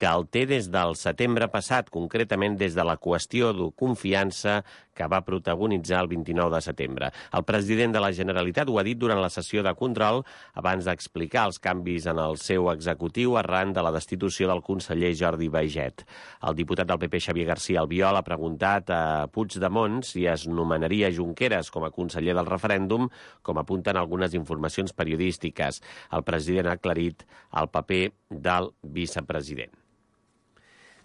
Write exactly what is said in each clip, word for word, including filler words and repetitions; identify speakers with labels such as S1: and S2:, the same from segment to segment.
S1: que el té des del setembre passat, concretament des de la qüestió de confiança que va protagonitzar el vint-i-nou de setembre. El president de la Generalitat ho ha dit durant la sessió de control abans d'explicar els canvis en el seu executiu arran de la destitució del conseller Jordi Baiget. El diputat del P P, Xavier García Albiol, ha preguntat a Puigdemont si es nomenaria Junqueras com a conseller del referèndum, com apunten algunes informacions periodístiques. El president ha aclarit el paper del vicepresident.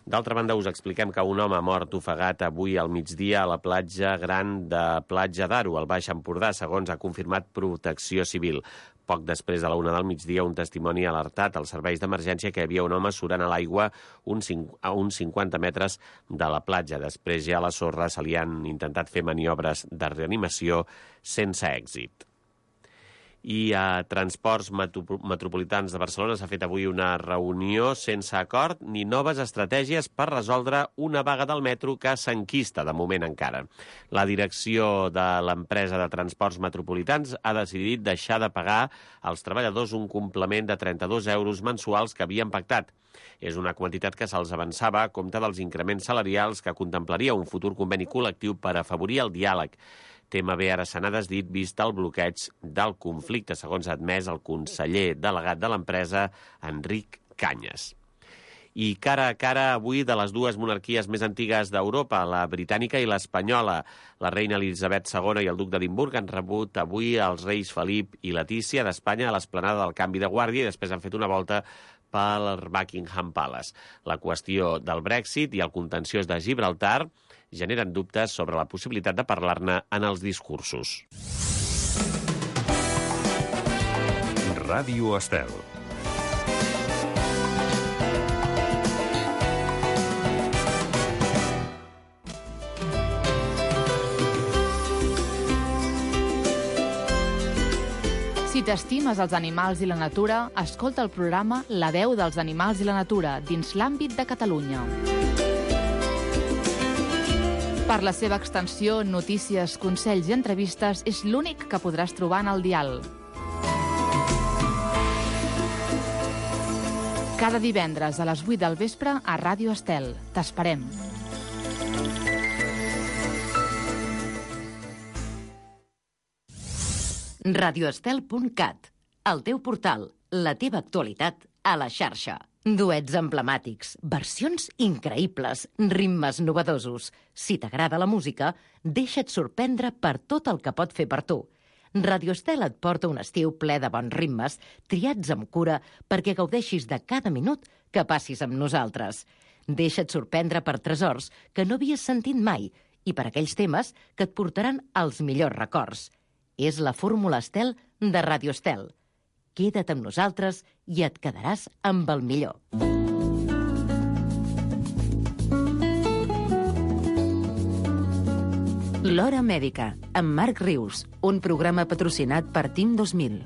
S1: D'altra banda, us expliquem que un home ha mort ofegat avui al migdia a la platja gran de Platja d'Aro, al Baix Empordà, segons ha confirmat Protecció Civil. Poc després de la una del migdia, un testimoni ha alertat als serveis d'emergència que hi havia un home surant a l'aigua a uns cinquanta metres de la platja. Després ja a la sorra se li han intentat fer maniobres de reanimació sense èxit. I a Transports Metropolitans de Barcelona s'ha fet avui una reunió sense acord ni noves estratègies per resoldre una vaga del metro que s'enquista de moment encara. La direcció de l'empresa de Transports Metropolitans ha decidit deixar de pagar als treballadors un complement de trenta-dos euros mensuals que havien pactat. És una quantitat que se'ls avançava a compte dels increments salarials que contemplaria un futur conveni col·lectiu per afavorir el diàleg. Tema bé ara se n'ha desdit vist el bloqueig del conflicte, segons ha admès el conseller delegat de l'empresa, Enric Canyes. I cara a cara avui de les dues monarquies més antigues d'Europa, la britànica i l'espanyola. La reina Elisabet segona i el duc d'Edimburg han rebut avui els reis Felip i Letícia d'Espanya a l'esplanada del Canvi de Guàrdia i després han fet una volta pel Buckingham Palace. La qüestió del Brexit i el contenciós de Gibraltar generen dubtes sobre la possibilitat de parlar-ne en els discursos.
S2: Ràdio Estel.
S3: Si t'estimes els animals i la natura, escolta el programa La veu dels animals i la natura dins l'àmbit de Catalunya. Per la seva extensió, notícies, consells i entrevistes, és l'únic que podràs trobar en el dial. Cada divendres a les vuit del vespre a Ràdio Estel. T'esperem.
S4: radioestel punt cat, el teu portal, la teva actualitat a la xarxa. Duets emblemàtics, versions increïbles, ritmes novedosos. Si t'agrada la música, deixa't sorprendre per tot el que pot fer per tu. Radio Estel et porta un estiu ple de bons ritmes, triats amb cura perquè gaudeixis de cada minut que passis amb nosaltres. Deixa't sorprendre per tresors que no havies sentit mai i per aquells temes que et portaran als millors records. És la fórmula Estel de Radio Estel. Queda't amb nosaltres i et quedaràs amb el millor. L'Hora Mèdica, amb Marc Rius, un programa patrocinat per Team dos mil.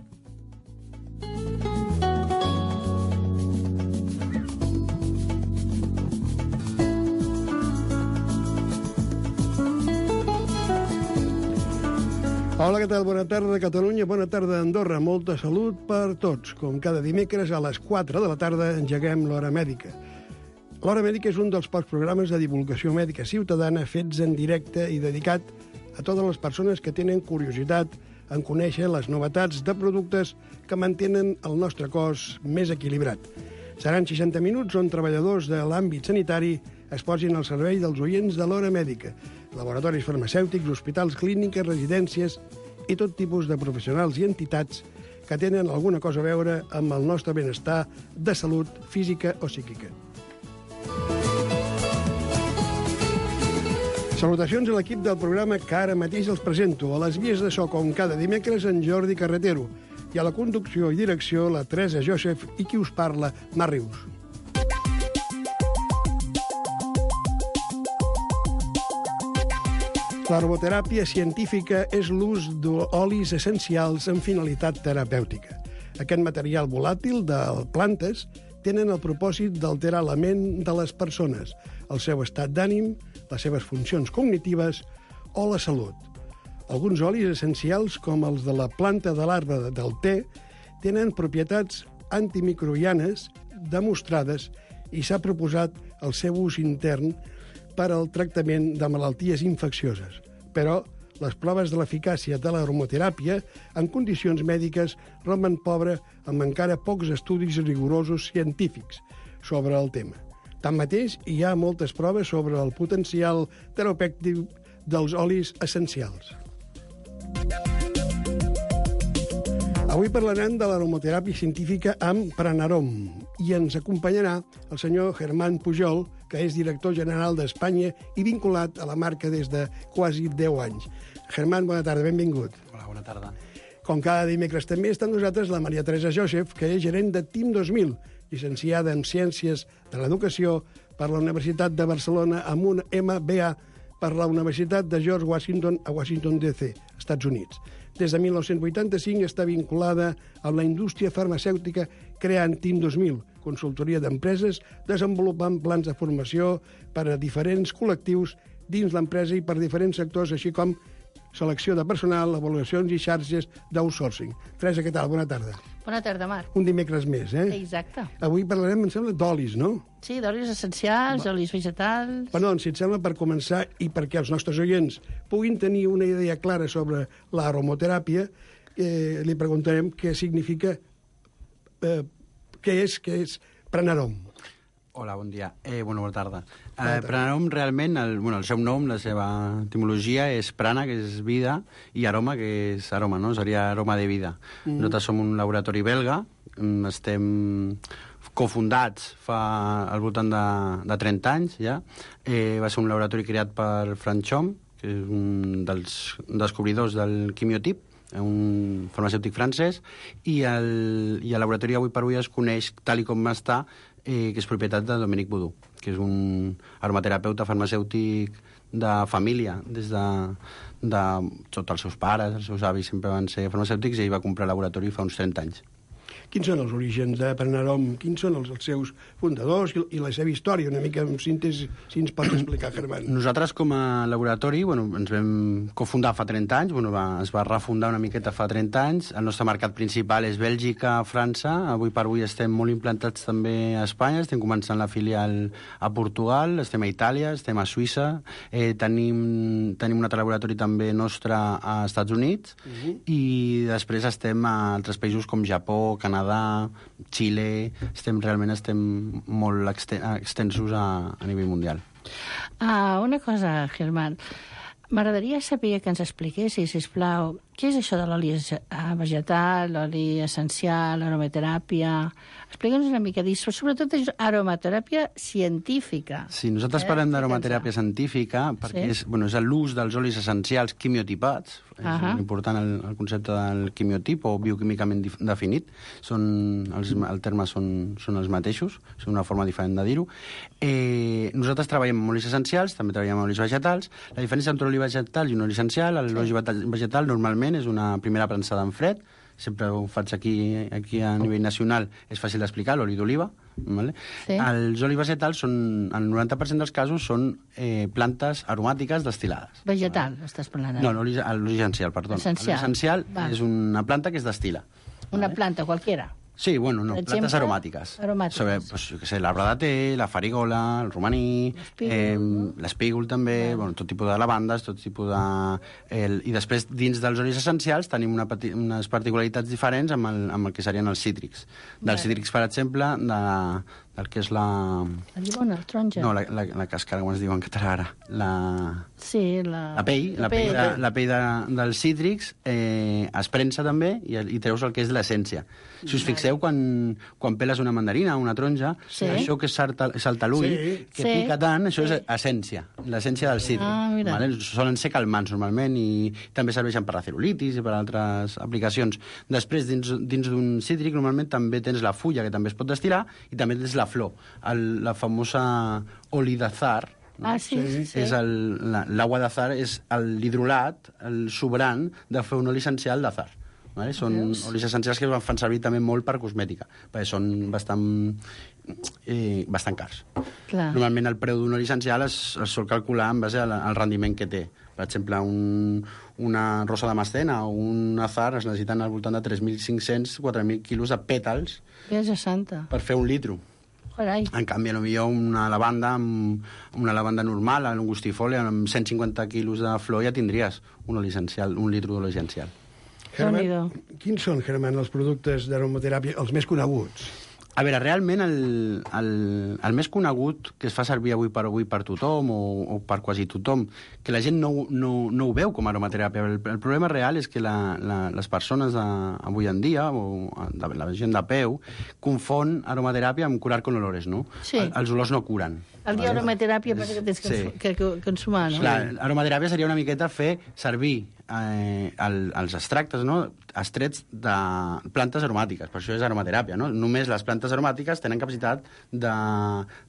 S5: Hola, què tal? Bona tarda, Catalunya. Bona tarda, Andorra. Molta salut per tots. Com cada dimecres, a les quatre de la tarda, engeguem l'Hora Mèdica. L'Hora Mèdica és un dels pocs programes de divulgació mèdica ciutadana fets en directe i dedicat a totes les persones que tenen curiositat en conèixer les novetats de productes que mantenen el nostre cos més equilibrat. Seran seixanta minuts on treballadors de l'àmbit sanitari es posin al servei dels oients de l'Hora Mèdica, laboratoris farmacèutics, hospitals, clíniques, residències i tot tipus de professionals i entitats que tenen alguna cosa a veure amb el nostre benestar de salut física o psíquica. Salutacions a l'equip del programa que ara mateix els presento. A les vies de so, com cada dimecres, en Jordi Carretero. I a la conducció i direcció, la Teresa Joseph i qui us parla, Marc Rius. L'arboteràpia científica és l'ús d'olis essencials amb finalitat terapèutica. Aquest material volàtil de plantes tenen el propòsit d'alterar la ment de les persones, el seu estat d'ànim, les seves funcions cognitives o la salut. Alguns olis essencials, com els de la planta de l'arbre del te, tenen propietats antimicrobianes demostrades i s'ha proposat el seu ús intern per al tractament de malalties infeccioses. Però les proves de l'eficàcia de l'aromateràpia en condicions mèdiques romen pobre amb encara pocs estudis rigorosos científics sobre el tema. Tanmateix, hi ha moltes proves sobre el potencial terapèutic dels olis essencials. Avui parlarem de l'aromateràpia científica amb Pranarom i ens acompanyarà el senyor Germán Pujol, que és director general d'Espanya i vinculat a la marca des de quasi deu anys. Germán, bona tarda, benvingut.
S2: Hola, bona tarda.
S5: Com cada dimecres també està amb nosaltres la Maria Teresa Joseph, que és gerent de Team dos mil, llicenciada en Ciències de l'Educació per la Universitat de Barcelona amb un M B A per la Universitat de George Washington a Washington D C, Estats Units. Des de mil nou-cents vuitanta-cinc està vinculada amb la indústria farmacèutica creant Team dos mil, consultoria d'empreses, desenvolupant plans de formació per a diferents col·lectius dins l'empresa i per diferents sectors, així com selecció de personal, avaluacions i xarxes d'outsourcing. Teresa, què tal? Bona tarda.
S6: Bona tarda, Marc.
S5: Un dimecres més, eh?
S6: Exacte.
S5: Avui parlarem, em sembla, d'olis, no?
S6: Sí, d'olis essencials,
S5: Va.
S6: olis vegetals...
S5: Però doncs, si et sembla, per començar, i perquè els nostres oients puguin tenir una idea clara sobre l'aromateràpia, eh, li preguntarem què significa, eh, què és, què és Pranarom.
S2: Hola, bon dia. Eh, bueno, bona tarda. Eh, Pranarom, realment, el, bueno, el seu nom, la seva etimologia és prana, que és vida, i aroma, que és aroma, no? Seria aroma de vida. Mm. Nosaltres som un laboratori belga, estem cofundats fa al voltant de, de trenta anys, ja. Eh, va ser un laboratori creat per Frank Chom, que és un dels descobridors del quimiotip, un farmacèutic francès, i el, i el laboratori avui per avui es coneix tal i com està, eh, que és propietat de Dominique Boudou, que és un aromaterapeuta farmacèutic de família, des de, de tots els seus pares, els seus avis sempre van ser farmacèutics, i ell va comprar el laboratori fa uns trenta anys.
S5: Quins són els orígens de Pranarom? Quins són els, els seus fundadors i, i la seva història? Una mica en síntesi, si ens pots explicar, Germán.
S2: Nosaltres, com a laboratori, bueno, ens vam cofundar fa trenta anys, bueno, va, es va refundar una miqueta fa trenta anys. El nostre mercat principal és Bèlgica, França. Avui per avui estem molt implantats també a Espanya. Estem començant la filial a Portugal, estem a Itàlia, estem a Suïssa. Eh, tenim, tenim un altre laboratori també nostre a Estats Units. Uh-huh. I després estem a altres països com Japó, Canadà, Canadà, Xile, estem, realment estem molt extensos a, a nivell mundial.
S6: Ah, una cosa, Germán. M'agradaria saber que ens expliquessis, sisplau, què és això de l'oli vegetal, l'oli essencial, l'aromateràpia... Explica'ns una mica d'això, sobretot aromateràpia científica.
S2: Sí, nosaltres eh? parlem d'aromateràpia científica perquè sí? és, bueno, és l'ús dels olis essencials quimiotipats. Uh -huh. És important el, el concepte del quimiotip o bioquímicament definit. Són, els, els termes són, són els mateixos, és una forma diferent de dir-ho. Eh, nosaltres treballem amb olis essencials, també treballem amb olis vegetals. La diferència entre oli vegetal i un oli essencial, l'oli sí. vegetal normalment és una primera prensada en fred, sempre ho faig aquí, aquí a nivell nacional, és fàcil d'explicar, l'oli d'oliva. Vale? Sí. Els olis vegetals, són, el noranta per cent dels casos, són eh, plantes aromàtiques destil·lades.
S6: Vegetal, vale? Estàs parlant?
S2: No, l'oli essencial, perdó.
S6: Essencial.
S2: L'oli essencial vale. És una planta que es destila.
S6: Una
S2: vale?
S6: planta qualquiera?
S2: Sí, bueno, no,
S6: exemple,
S2: plantes aromàtiques.
S6: Aromàtiques.
S2: Sobre, pues, jo què sé, l'arbre de té, la farigola, el romaní, l'espígol eh, també, bueno. Bueno, tot tipus de lavandes, tot tipus de... El, I després, dins dels olis essencials, tenim una pati, unes particularitats diferents amb el, amb el que serien els cítrics. Dels cítrics, per exemple, de, del que és la...
S6: La llimona, el taronja.
S2: No, la, la, la càscara, com es diu en català ara. La...
S6: Sí, la...
S2: La pell, la, la pell, de, la pell de, dels cítrics eh, es prensa també i, i treus el que és l'essència. Si us fixeu, quan, quan peles una mandarina o una taronja, sí. això que salta, salta l'ull, sí. que sí. pica tant, això sí. és essència, l'essència del cítric. Ah, vale? Solen ser calmants, normalment, i també serveixen per la celulitis i per altres aplicacions. Després, dins, dins d'un cítric, normalment també tens la fulla, que també es pot destil·lar, i també tens la flor, el, la famosa oli d'azar.
S6: Ah, sí, sí, sí.
S2: És l'aigua d'azar és l'hidrolat, el sobrant de fer un oli essencial d'azar. Vale? Són Veus? olis essencials que es fan servir també molt per cosmètica, perquè són bastant, eh, bastant cars. Clar. Normalment el preu d'un oli essencial es, es sol calcular en base al, al rendiment que té. Per exemple, un, una rosa de mastena o un azar es necessiten al voltant de tres mil cinc-cents a quatre mil quilos de pètals
S6: Veja santa.
S2: per fer un litro.
S6: Carai.
S2: En canvi, potser una lavanda, amb una lavanda normal, un angustifolia, amb cent cinquanta quilos de flor ja tindries un oli essencial, un litro d'oli essencial.
S5: Germán, quins són, Germán, els productes d'aromateràpia, els més coneguts?
S2: A veure, realment el, el, el més conegut que es fa servir avui per avui per tothom o, o per quasi tothom, que la gent no, no, no ho veu com a aromateràpia. El, el problema real és que la, la, les persones de, avui en dia, o de, la gent de peu, confon aromateràpia amb curar con olores, no?
S6: Sí.
S2: El, els olors no curen.
S6: El dia aromateràpia passa que tens que,
S2: Sí.
S6: que, que consumar, no?
S2: Clar, aromateràpia seria una miqueta fer servir eh, el, els extractes, no?, extrets de plantes aromàtiques. Per això és aromateràpia, no? Només les plantes aromàtiques tenen capacitat de,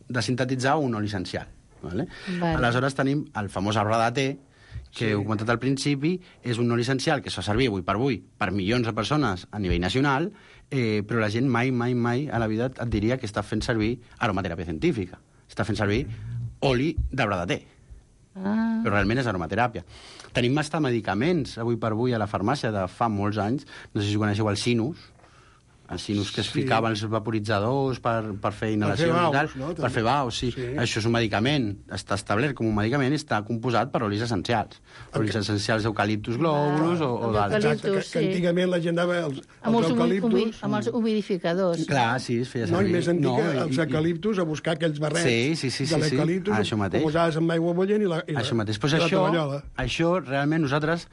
S2: de sintetitzar un oli essencial. Vale?
S6: Vale.
S2: Aleshores tenim el famós arbre de té, que sí. Heu comentat al principi, és un oli essencial que es fa servir avui per avui per milions de persones a nivell nacional, eh, però la gent mai, mai, mai a la vida et diria que està fent servir aromateràpia científica. Està fent servir oli d'arbre de té. Ah. Però realment és aromateràpia. Tenim hasta medicaments avui per avui a la farmàcia de fa molts anys, no sé si coneixeu el sinus, els sinus que es
S5: Sí.
S2: ficaven els vaporitzadors per, per fer inhalacions
S5: Per fer
S2: i tal,
S5: baus, no?
S2: per fer baus, sí.
S5: Sí.
S2: Això és un medicament, està establert com un medicament i està composat per olis essencials. Olis essencials d'eucaliptus globulus o, o
S6: El
S2: d'altres.
S6: d'eucaliptus.
S5: Exacte, que, que
S6: sí.
S5: antigament la gent anava als,
S6: Amb
S5: als
S6: els, humi, humi,
S5: eucaliptus...
S6: amb els humidificadors.
S2: Clar, sí, es feia
S5: No,
S2: servir.
S5: i més antic,
S2: No,
S5: no,
S2: i-
S5: els
S2: i-
S5: eucaliptus, a buscar aquells barrets
S2: Sí, sí, sí, sí,
S5: de
S2: sí.
S5: l'eucaliptus,
S2: Això mateix.
S5: ho posaves amb aigua bullent i la, i la,
S2: Això mateix. Pues
S5: i la
S2: això,
S5: tovallola.
S2: això, realment, nosaltres,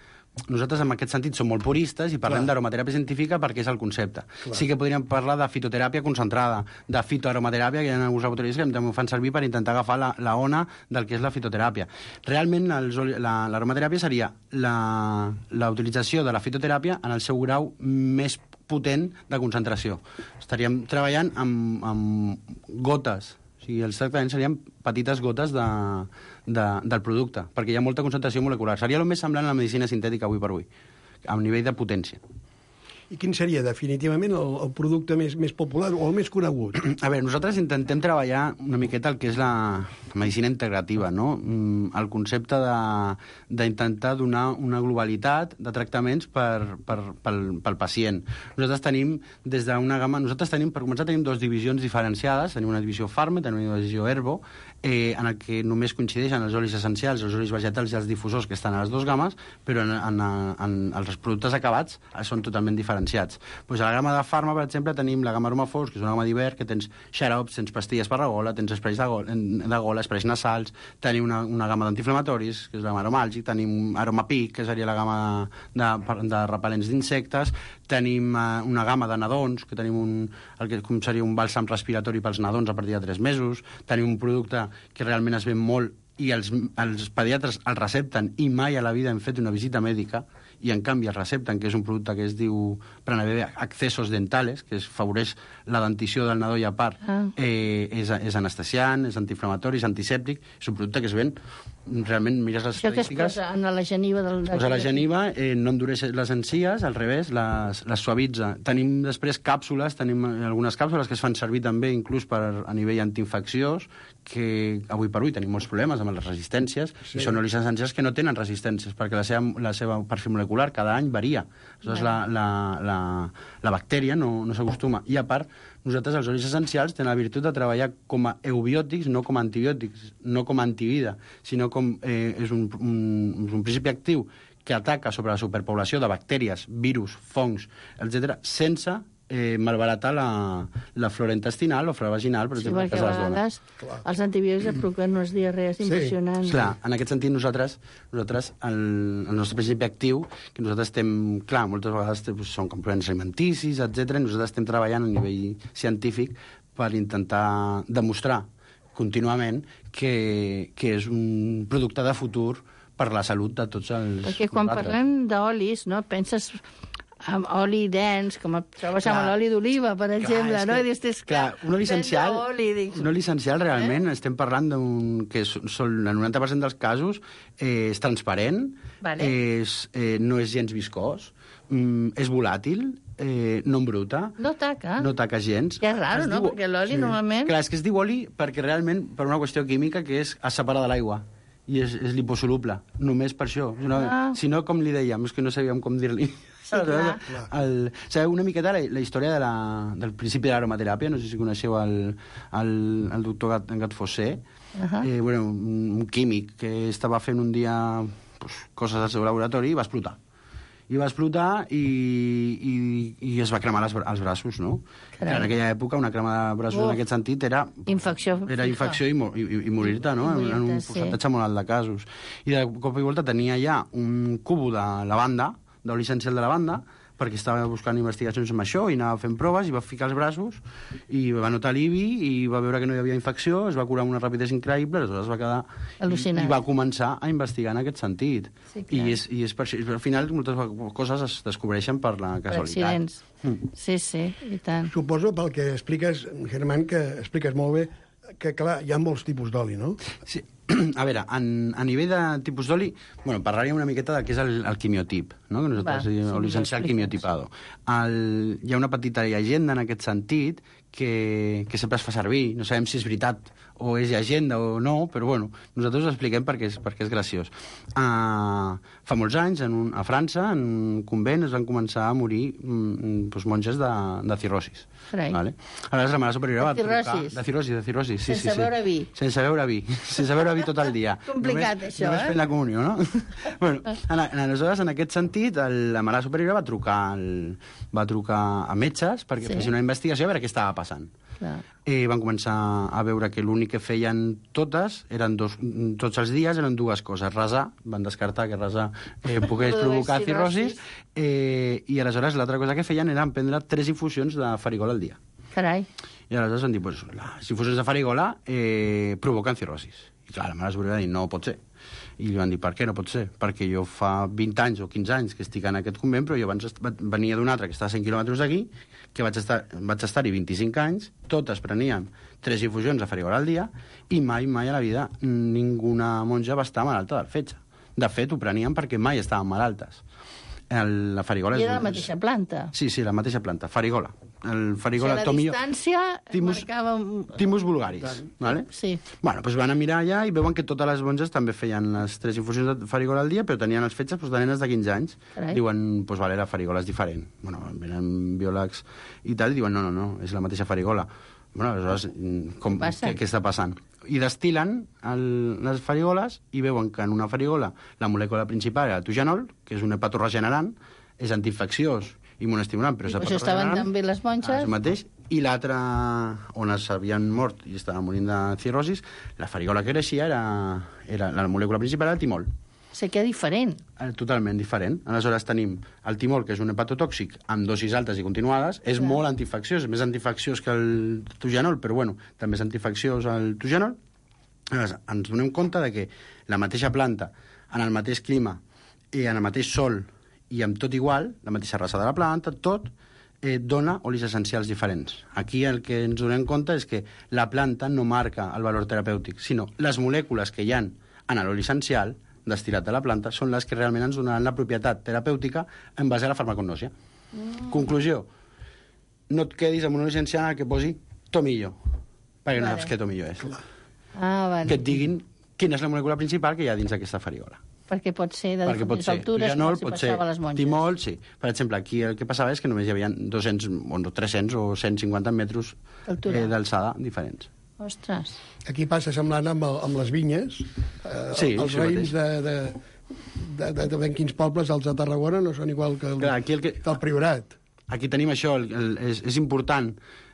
S2: nosaltres en aquest sentit som molt puristes i parlem
S5: Clar.
S2: d'aromateràpia científica perquè és el concepte.
S5: Clar.
S2: Sí que podríem parlar de fitoteràpia concentrada, de fitoaromateràpia, que hi ha alguns laboratoris que també ho fan servir per intentar agafar la, la ona del que és la fitoteràpia. Realment, els oli- la- l'aromateràpia seria la, la utilització de la fitoteràpia en el seu grau més potent de concentració. Estaríem treballant amb, amb gotes, o sigui, els tractaments serien petites gotes de, de, del producte, perquè hi ha molta concentració molecular. Seria el més semblant a la medicina sintètica avui per avui, a nivell de potència.
S5: I quin seria definitivament el, el producte més, més popular o el més conegut?
S2: A veure, nosaltres intentem treballar una miqueta el que és la medicina integrativa, no? Mm, El concepte de- d'intentar donar una globalitat de tractaments per, per, pel, pel pacient. Nosaltres tenim des d'una gamma... Nosaltres tenim, per començar, tenim dues divisions diferenciades. Tenim una divisió Farma, tenim una divisió Herbo, eh, en el que només coincideixen els olis essencials, els olis vegetals i els difusors que estan a les dues gammes, però en, en, en, en els productes acabats són totalment diferenciats. Pues a la gamma de Farma, per exemple, tenim la gamma Aroma Force, que és una gamma d'hivern, que tens xarops, tens pastilles per la gola, tens esprais de gola, de gola esprais nasals, tenim una, una gamma d'antiinflamatoris, que és la gamma aromàlgic, tenim Aroma Peak, que seria la gamma de, de repel·lents d'insectes, tenim uh, una gamma de nadons, que tenim un, el que com seria un bàlsam respiratori pels nadons a partir de tres mesos, tenim un producte que realment es ven molt i els, els pediatres el recepten i mai a la vida hem fet una visita mèdica, i en canvi es recepten, que és un producte que es diu Pranabebe Accessos Dentales, que es favoreix la dentició del nadó i a part, ah. eh, és, és anestesiant, és antiinflamatori, és antisèptic, és un producte que es ven realment, mires les
S6: Això que es
S2: estadístiques...
S6: posa en la geniva del...
S2: Es posa la geniva, eh, no endureix les encies, al revés, les, les suavitza. Tenim després càpsules, tenim algunes càpsules que es fan servir també inclús per, a nivell antiinfecciós, que avui per avui tenim molts problemes amb les resistències, sí. I són olis essencials que no tenen resistències, perquè la seva, la seva perfil molecular cada any varia. Aleshores, la, la, la, la bactèria no, no s'acostuma. I a part, nosaltres els olis essencials tenen la virtut de treballar com a eubiòtics, no com a antibiòtics, no com a antivida, sinó com eh, és, un, un, és un principi actiu que ataca sobre la superpoblació de bactèries, virus, fongs, etcètera, sense eh, malbaratar la, la flora intestinal o flora vaginal, per
S6: Sí,
S2: exemple,
S6: perquè
S2: que
S6: a
S2: les dones.
S6: vegades els antibiòtics et provoquen unes diarrees impressionants.
S2: Clar, en aquest sentit nosaltres, nosaltres el, el nostre principi actiu, que nosaltres estem, clar, moltes vegades doncs, són complements alimenticis, etcètera, i nosaltres estem treballant a nivell científic per intentar demostrar contínuament que, que és un producte de futur per la salut de tots els...
S6: Perquè quan
S2: nosaltres.
S6: parlem d'olis, no, penses amb oli dens, com et trobes amb l'oli d'oliva, per exemple,
S2: és
S6: no?
S2: que,
S6: I dius, és
S2: clar, un oli essencial,
S6: oli, dic,
S2: un oli essencial realment, eh? estem parlant d'un que són, són el noranta per cent dels casos eh, és transparent,
S6: Vale.
S2: és, eh, no és gens viscós, mm, és volàtil, eh, no embruta,
S6: no taca.
S2: no taca gens.
S6: Que és raro,
S2: Es
S6: no?
S2: diu-
S6: Perquè l'oli normalment...
S2: Clar, és que es diu oli perquè realment, per una qüestió química, que és es separa de l'aigua i és, és liposoluble, només per això. Si no,
S6: Ah.
S2: si no, com li dèiem, és que no sabíem com dir-li.
S6: Sí, clar.
S2: El, sabeu una miqueta la, la història de la, del principi de l'aromateràpia? No sé si coneixeu el, el, el doctor Gat, Gat Fossé, uh -huh. eh, bueno, un, un químic que estava fent un dia pues, coses al seu laboratori i va explotar. I va explotar i, i, i es va cremar les, els braços, no? Carai. En aquella època una crema de braços oh. en aquest sentit era...
S6: Infecció.
S2: Era infecció i, i, i morir-te, no? Morir en un percentatge sí. molt alt de casos. I de cop i volta tenia ja un cubo de lavanda, d'oli essencial de lavanda, perquè estava buscant investigacions amb això i anava fent proves i va ficar els braços i va notar alivi i va veure que no hi havia infecció, es va curar amb una rapidesa increïble, aleshores va quedar...
S6: al·lucinant.
S2: I, i va començar a investigar en aquest sentit. Sí, I, és, i és per això, al final moltes coses es descobreixen per la casualitat.
S6: Per accidents. Mm. Sí, sí, i tant.
S5: Suposo, pel que expliques, Germán, que expliques molt bé, que, clar, hi ha molts tipus d'oli, no?
S2: Sí. A veure, en, a nivell de tipus d'oli, bueno, parlaríem una miqueta del que és el, el quimiotip, no? Que nosaltres Va, diem oli essencial quimiotipado. El, hi ha una petita llegenda en aquest sentit que, que sempre es fa servir. No sabem si és veritat o és llegenda o no, però bueno, nosaltres ho expliquem perquè és, perquè és graciós. Uh, fa molts anys, en un, a França, en un convent, es van començar a morir mm, doncs, monges de, de cirrosis. Vale? Aleshores la mare superiora va trucar... De cirrosis, de cirrosis, sí,
S6: sense
S2: sí, sí.
S6: beure vi.
S2: Sense beure vi. Sense beure vi tot el dia.
S6: Complicat,
S2: només,
S6: això,
S2: només
S6: eh?
S2: Només fent la comunió, no? bueno, en, en, aleshores, en aquest sentit, el, la mare superiora va trucar, el, va trucar a metges perquè sí. fessin una investigació a veure què estava passant.
S6: Clar.
S2: I van començar a veure que l'únic que feien totes, eren dos, tots els dies, eren dues coses. Resar, van descartar que resar eh, pogués provocar cirrosis, eh, i aleshores l'altra cosa que feien era prendre tres infusions de farigola al dia.
S6: Carai.
S2: I aleshores van dir, pues, les infusions de farigola eh, provoquen cirrosis. I clar, la mare superiora va dir, no pot ser. I li van dir, per què no pot ser? Perquè jo fa vint anys o quinze anys que estic en aquest convent, però jo abans venia d'un altre que està a cent quilòmetres d'aquí, que vaig estar, vaig estar-hi vint-i-cinc anys, totes prenien tres infusions de farigola al dia, i mai, mai a la vida ninguna monja va estar malalta del fetge. De fet, ho prenien perquè mai estaven malaltes. El, la farigola
S6: I era
S2: és,
S6: la mateixa planta.
S2: Sí, sí, la mateixa planta, farigola. El farigola,
S6: o sigui, la
S2: tomillo,
S6: distància
S2: timus,
S6: marcava...
S2: Timus vulgaris, vale?
S6: Sí.
S2: Bueno, doncs van a mirar allà i veuen que totes les monges també feien les tres infusions de farigola al dia, però tenien els fetges doncs, de nenes de quinze anys. Carai. Diuen, doncs vale, la farigola és diferent. Bueno, venen biòlegs i tal, i diuen, no, no, no, és la mateixa farigola. Bueno, aleshores, com, què, què està passant? I destil·len el, les farigoles i veuen que en una farigola la molècula principal era el tugenol, que és un hepatoregenerant, és antiinfecciós, immunoestimulant, però és
S6: hepatoregenerant. Això estaven també les monges.
S2: El mateix. I l'altre, on s'havien mort i estaven morint de cirrosis, la farigola que creixia era, era la molècula principal era el timol.
S6: O sigui que diferent.
S2: Totalment diferent. Aleshores tenim el timol, que és un hepatotòxic amb dosis altes i continuades, és Clar. molt antiinfecciós, és més antiinfecciós que el tugenol, però bueno, també és antiinfecciós el tugenol. Aleshores, ens donem compte de que la mateixa planta, en el mateix clima, i en el mateix sol, i amb tot igual, la mateixa raça de la planta, tot, eh, dona olis essencials diferents. Aquí el que ens donem compte és que la planta no marca el valor terapèutic, sinó les molècules que hi ha en l'oli essencial, destil·lat de la planta, són les que realment ens donaran la propietat terapèutica en base a la farmacognòsia. Mm. Conclusió, no et quedis amb un oli essencial en el que posi tomillo, perquè vale. no saps què tomillo és.
S6: Ah, vale.
S2: Que et diguin quina és la molècula principal que hi ha dins d'aquesta farigola.
S6: Perquè pot ser de diferents altures,
S2: tugenol,
S6: com
S2: pot
S6: si passava a les monges.
S2: Timol, sí. Per exemple, aquí el que passava és que només hi havia dos-cents, o tres-cents o cent cinquanta metres eh, d'alçada diferents.
S6: Ostres.
S5: Aquí passa semblant amb, el, amb les vinyes. Eh,
S2: sí,
S5: els raïms de, de, de, de, de ben quins pobles, els de Tarragona, no són igual que el, Clar, aquí el que, del Priorat.
S2: Aquí tenim això, el, el, és, és important.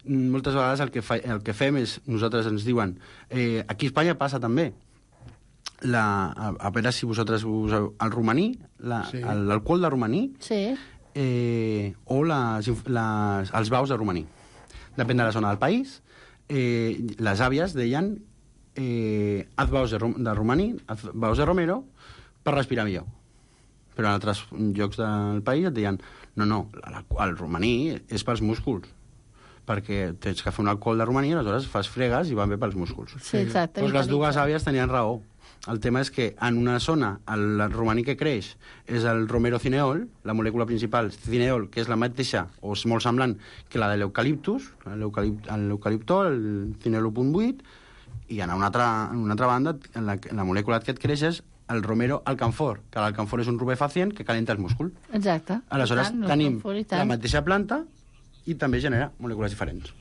S2: Moltes vegades el que, fa, el que fem és, nosaltres ens diuen, eh, aquí a Espanya passa també, la, a, a veure si vosaltres useu el romaní, l'alcohol sí. de romaní,
S6: sí.
S2: eh, o les, les, els baus de romaní. Depèn de la zona del país. Eh, les àvies deien eh, haz baus de, rom de romaní, haz baus de romero, per respirar millor. Però en altres llocs del país et deien no, no, el romaní és pels músculs, perquè tens que fer un alcohol de romaní i aleshores fas fregues i van bé pels músculs.
S6: Sí, exacte.
S2: Doncs les dues àvies tenien raó. El tema és que en una zona el romaní que creix és el romero-cineol, la molècula principal cineol, que és la mateixa o és molt semblant que la de l'eucaliptus, l'eucaliptol, el cineol u punt vuit, i en una altra, en una altra banda la, la molècula que et creix és el romero alcanfor, que l'alcanfor és un rubefacient que calenta el múscul.
S6: Exacte.
S2: Aleshores,
S6: tant,
S2: tenim
S6: alcanfor i tant.
S2: la mateixa planta i també genera molècules diferents.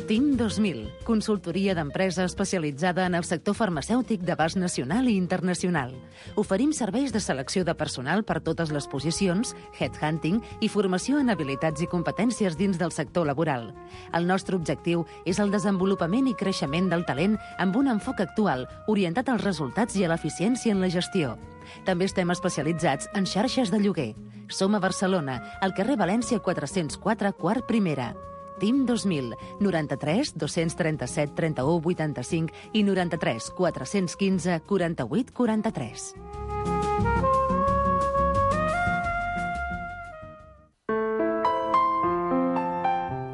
S4: T I M dos mil, consultoria d'empresa especialitzada en el sector farmacèutic d'abast nacional i internacional. Oferim serveis de selecció de personal per totes les posicions, headhunting i formació en habilitats i competències dins del sector laboral. El nostre objectiu és el desenvolupament i creixement del talent amb un enfoc actual orientat als resultats i a l'eficiència en la gestió. També estem especialitzats en xarxes de lloguer. Som a Barcelona, al carrer València quatre-cents quatre, quart primera. T I M dos mil, noranta-tres dos-cents trenta-set trenta-u vuitanta-cinc i noranta-tres quatre-cents quinze quaranta-vuit quaranta-tres.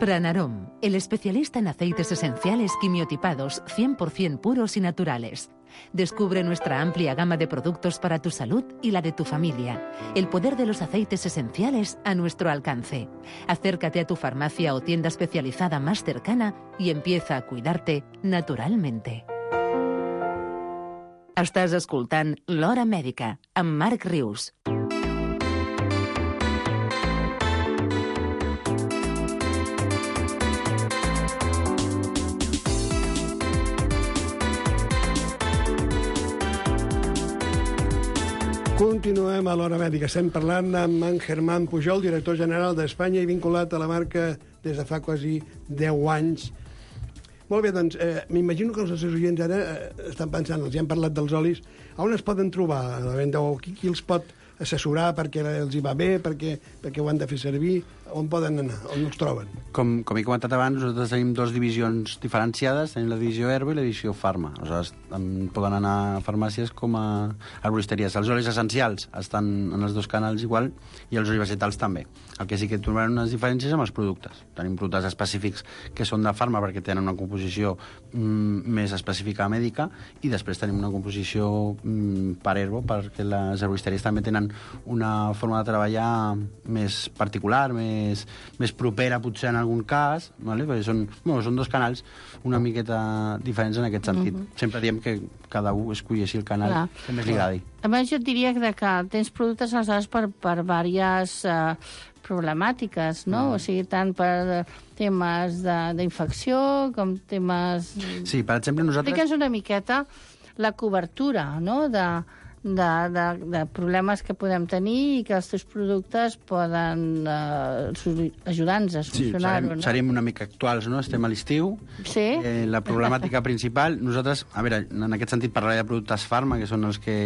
S4: Pranarom, el especialista en aceites esenciales quimiotipados cien por ciento puros y naturales. Descubre nuestra amplia gama de productos para tu salud y la de tu familia. El poder de los aceites esenciales a nuestro alcance. Acércate a tu farmacia o tienda especializada más cercana y empieza a cuidarte naturalmente. Estàs escoltant L'Hora Mèdica, amb Marc Rius.
S5: Continuem a l'Hora Mèdica. Estem parlant amb en Germán Pujol, director general d'Espanya i vinculat a la marca des de fa quasi deu anys. Molt bé, doncs, eh, m'imagino que els nostres oients ara eh, estan pensant, els hi han parlat dels olis, on es poden trobar a la venda o qui, qui els pot assessorar perquè els hi va bé, perquè, perquè ho han de fer servir, on poden anar, on els troben?
S2: Com, com he comentat abans, nosaltres tenim dues divisions diferenciades, tenim la divisió herba i la divisió farma. Aleshores, en poden anar a farmàcies com a arboristeries. Els olis essencials estan en els dos canals igual i els olis vegetals també. El que sí que trobaran unes diferències amb els productes. Tenim productes específics que són de farma perquè tenen una composició mm, més específica mèdica i després tenim una composició mm, per herbo perquè les arboristeries també tenen una forma de treballar més particular, més, més propera potser en algun cas, vale? Perquè són, bueno, són dos canals una miqueta diferents en aquest sentit. Mm-hmm. Sempre diem que cada un esculli així el canal Clar. que més li agradi.
S6: A més, jo et diria que tens productes aleshores per, per diverses uh, problemàtiques, no? Mm. O sigui, tant per temes d'infecció com temes...
S2: Sí, per exemple, nosaltres...
S6: Explica'ns una miqueta la cobertura, no?, de... De, de, de problemes que podem tenir i que els teus productes poden eh, ajudar-nos a solucionar-ho.
S2: Sí, serem,
S6: no?
S2: serem una mica actuals, no? Estem a l'estiu.
S6: Sí.
S2: Eh, la problemàtica principal... Nosaltres, a veure, en aquest sentit parlaré de productes farma, que són els que,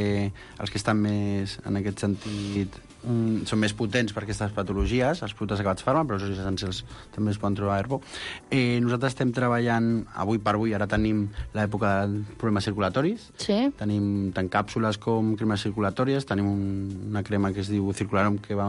S2: els que estan més, en aquest sentit, mm, són més potents per aquestes patologies, els productes acabats farma, però els olis essencials també es poden trobar a herbo. Eh, nosaltres estem treballant, avui per avui, ara tenim l'època dels problemes circulatoris.
S6: Sí.
S2: Tenim tant càpsules com cremes circulatòries, tenim un, una crema que es diu Circularom, que va